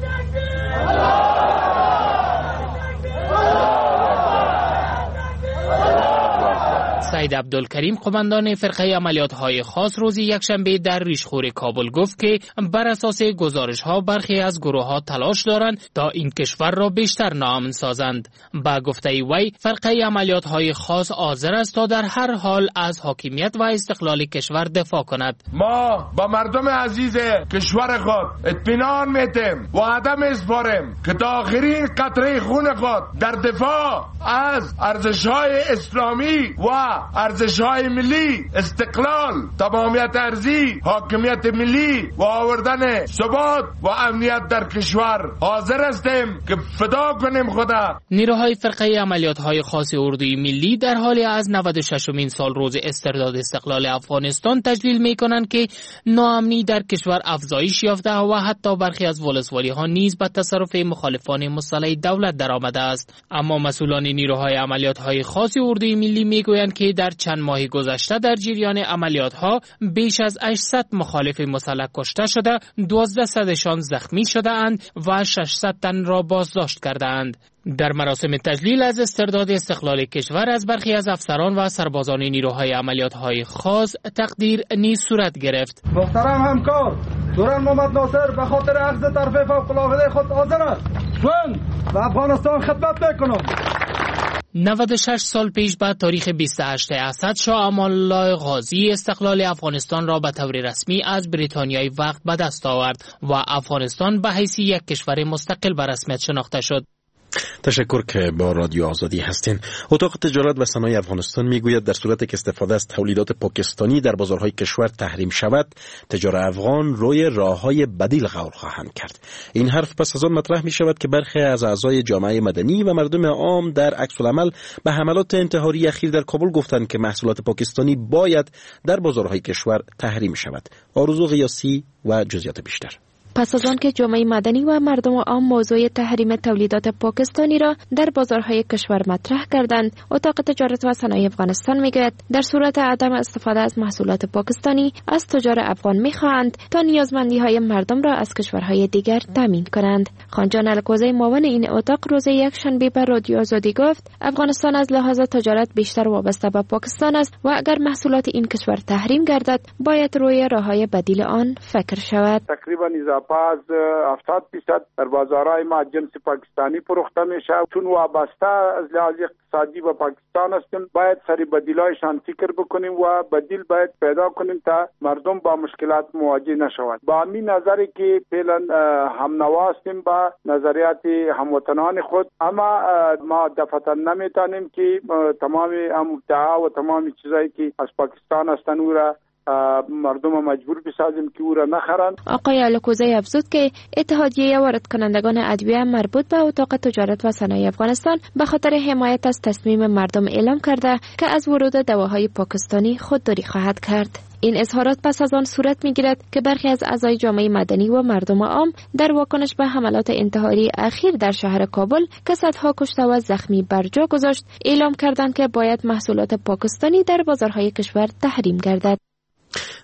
سید عبدالکریم قماندان فرقه عملیات‌های خاص روز یکشنبه در ریشخور کابل گفت که بر اساس گزارش‌ها برخی از گروه‌ها تلاش دارند تا این کشور را بیشتر ناامن سازند. با گفته وی فرقه عملیات‌های خاص حاضر است تا در هر حال از حاکمیت و استقلال کشور دفاع کند. ما با مردم عزیز کشور خود اطمینان می‌دهیم و عدم اسپاریم که تا آخرین قطره خون خود در دفاع از ارزش‌های اسلامی و ارزش‌های ملی، استقلال، تمامیت ارضی، حاکمیت ملی و آوردن ثبات و امنیت در کشور حاضر هستیم که فدا کنیم خدا. نیروهای فرقه عملیات‌های خاص اردوی ملی در حال از نود و ششمین سال روز استرداد استقلال افغانستان تجلیل می‌کنند که ناامنی در کشور افزایش یافته و حتی برخی از ولسوالی‌ها نیز به تصرف مخالفان مسلح دولت درآمده است. اما مسئولان نیروهای عملیات‌های خاص اردوی ملی می‌گویند که در چند ماه گذشته در جریان عملیات‌ها بیش از هشتصد مخالف مسلح کشته شده، دوازده صدشان زخمی شده اند و ششصد تن را بازداشت کرده اند. در مراسم تجلیل از استرداد استقلال کشور از برخی از افسران و سربازان نیروهای عملیات‌های خاص تقدیر نیز صورت گرفت. محترم همکار دوران محمد ناصر به خاطر اخذ طرف فوق العاده خود حاضر است. من به افغانستان خدمت می‌کنم. نود و شش سال پیش به تاریخ بیست و هشت اسد شاه امان الله غازی استقلال افغانستان را به طور رسمی از بریتانیای وقت به دست آورد و افغانستان به حیث یک کشور مستقل به رسمیت شناخته شد. تشکر که با رادیو آزادی هستین. اتاق تجارت و صنایع افغانستان میگوید در صورت که استفاده از تولیدات پاکستانی در بازارهای کشور تحریم شود، تجار افغان روی راه‌های بدیل غور خواهند کرد. این حرف پس از آن مطرح می شود که برخی از اعضای جامعه مدنی و مردم عام در عکس العمل به حملات انتحاری اخیر در کابل گفتند که محصولات پاکستانی باید در بازارهای کشور تحریم شود. آرزو غیاثی و جزئیات بیشتر. پس از آن که جامعه مدنی و مردم عام موضوع تحریم تولیدات پاکستانی را در بازارهای کشور مطرح کردند، اتاق تجارت و صنایع افغانستان میگوید در صورت عدم استفاده از محصولات پاکستانی از تجار افغان میخواهند تا نیازمندی های مردم را از کشورهای دیگر تامین کنند. خانجان الکوزی معاون این اتاق روز یکشنبه به رادیو آزادی گفت افغانستان از لحاظ تجارت بیشتر وابسته به پاکستان است و اگر محصولات این کشور تحریم گردد باید روی راههای بدیل آن فکر شود. تقریبا از هفتاد درصد در بازارهای ما جنس پاکستانی فروخته میشه. چون وابسته از لحاظ اقتصادی به پاکستان هستیم، باید سری بدیلایشان فکر بکنیم و بدیل باید پیدا کنیم تا مردم با مشکلات مواجه نشوند. با همین نظری که فعلا هم نوا هستیم با نظریات هموطنان خود، اما ما دفعتا نمیتونیم که تمام امتعا و تمام چیزایی که از پاکستان هستند او را مردم مجبور بسازیم که او را نخرند. آقای الکوزی افزود که اتحادیه وارد کنندگان ادویه مربوط به اتاق تجارت و صنایع افغانستان به خاطر حمایت از تصمیم مردم اعلام کرده که از ورود دواهای پاکستانی خودداری خواهد کرد. این اظهارات پس از آن صورت می‌گیرد که برخی از اعضای جامعه مدنی و مردم عام در واکنش به حملات انتحاری اخیر در شهر کابل که صدها کشته و زخمی بر جا گذاشت اعلام کردند که باید محصولات پاکستانی در بازارهای کشور تحریم گردد.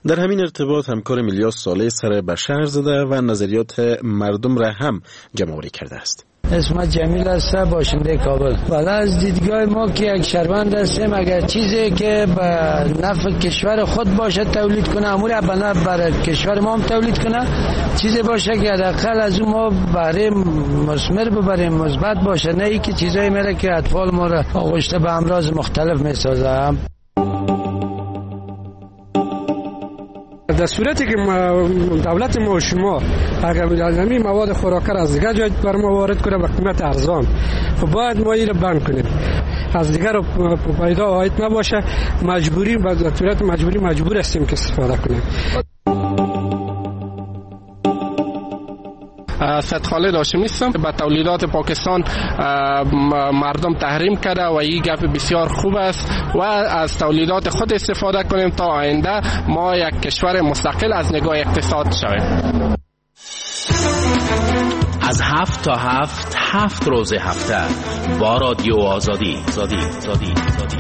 در همین ارتباط همکار میلیاس صالح سر به شهر زده و نظریات مردم را هم جمع‌آوری کرده است. اسم جمیل است، باشنده کابل. والا از دیدگاه ما که یک شهروند هستیم، اگر چیزی که به نفع کشور خود باشه تولید کنه، امور به نفع برای کشور ما هم تولید کنه، چیزی باشه که حداقل از اون ما بهره مثمر ببریم، مثبت باشه، نه اینکه چیزایی میره که اطفال ما را آغشته به امراض مختلف میسازه. در صورتی که دولت ما و شما اگر از این مواد خوراکه را از دیگر جای بر ما وارد کنه به قیمت ارزان، خب باید ما این را بند کنیم. از دیگر پیدا آید نباشه، مجبوری به صورت مجبوری مجبور هستیم که استفاده کنیم. سید خالد هاشمی هستم. به تولیدات پاکستان مردم تحریم کرده و این گپ بسیار خوب است و از تولیدات خود استفاده کنیم تا آینده ما یک کشور مستقل از نگاه اقتصاد شویم. از هفت تا هفت، هفت روز هفته با رادیو آزادی. آزادی آزادی آزادی.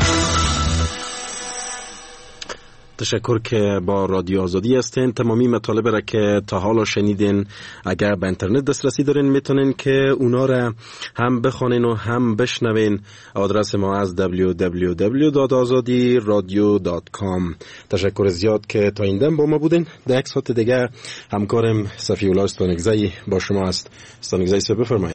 تشکر که با رادیو آزادی هستین. تمامی مطالب را که تا حالا شنیدین اگر به اینترنت دسترسی دارین میتونین که اونا را هم بخوانین و هم بشنوین. آدرس ما از دبلیو دبلیو دبلیو دات آزادی رادیو دات کام. تشکر زیاد که تا این دم با ما بودین. در یک ساعت دیگه همکارم صفی الله ستانکزی با شما است. ستانکزی صاحب بفرمایید.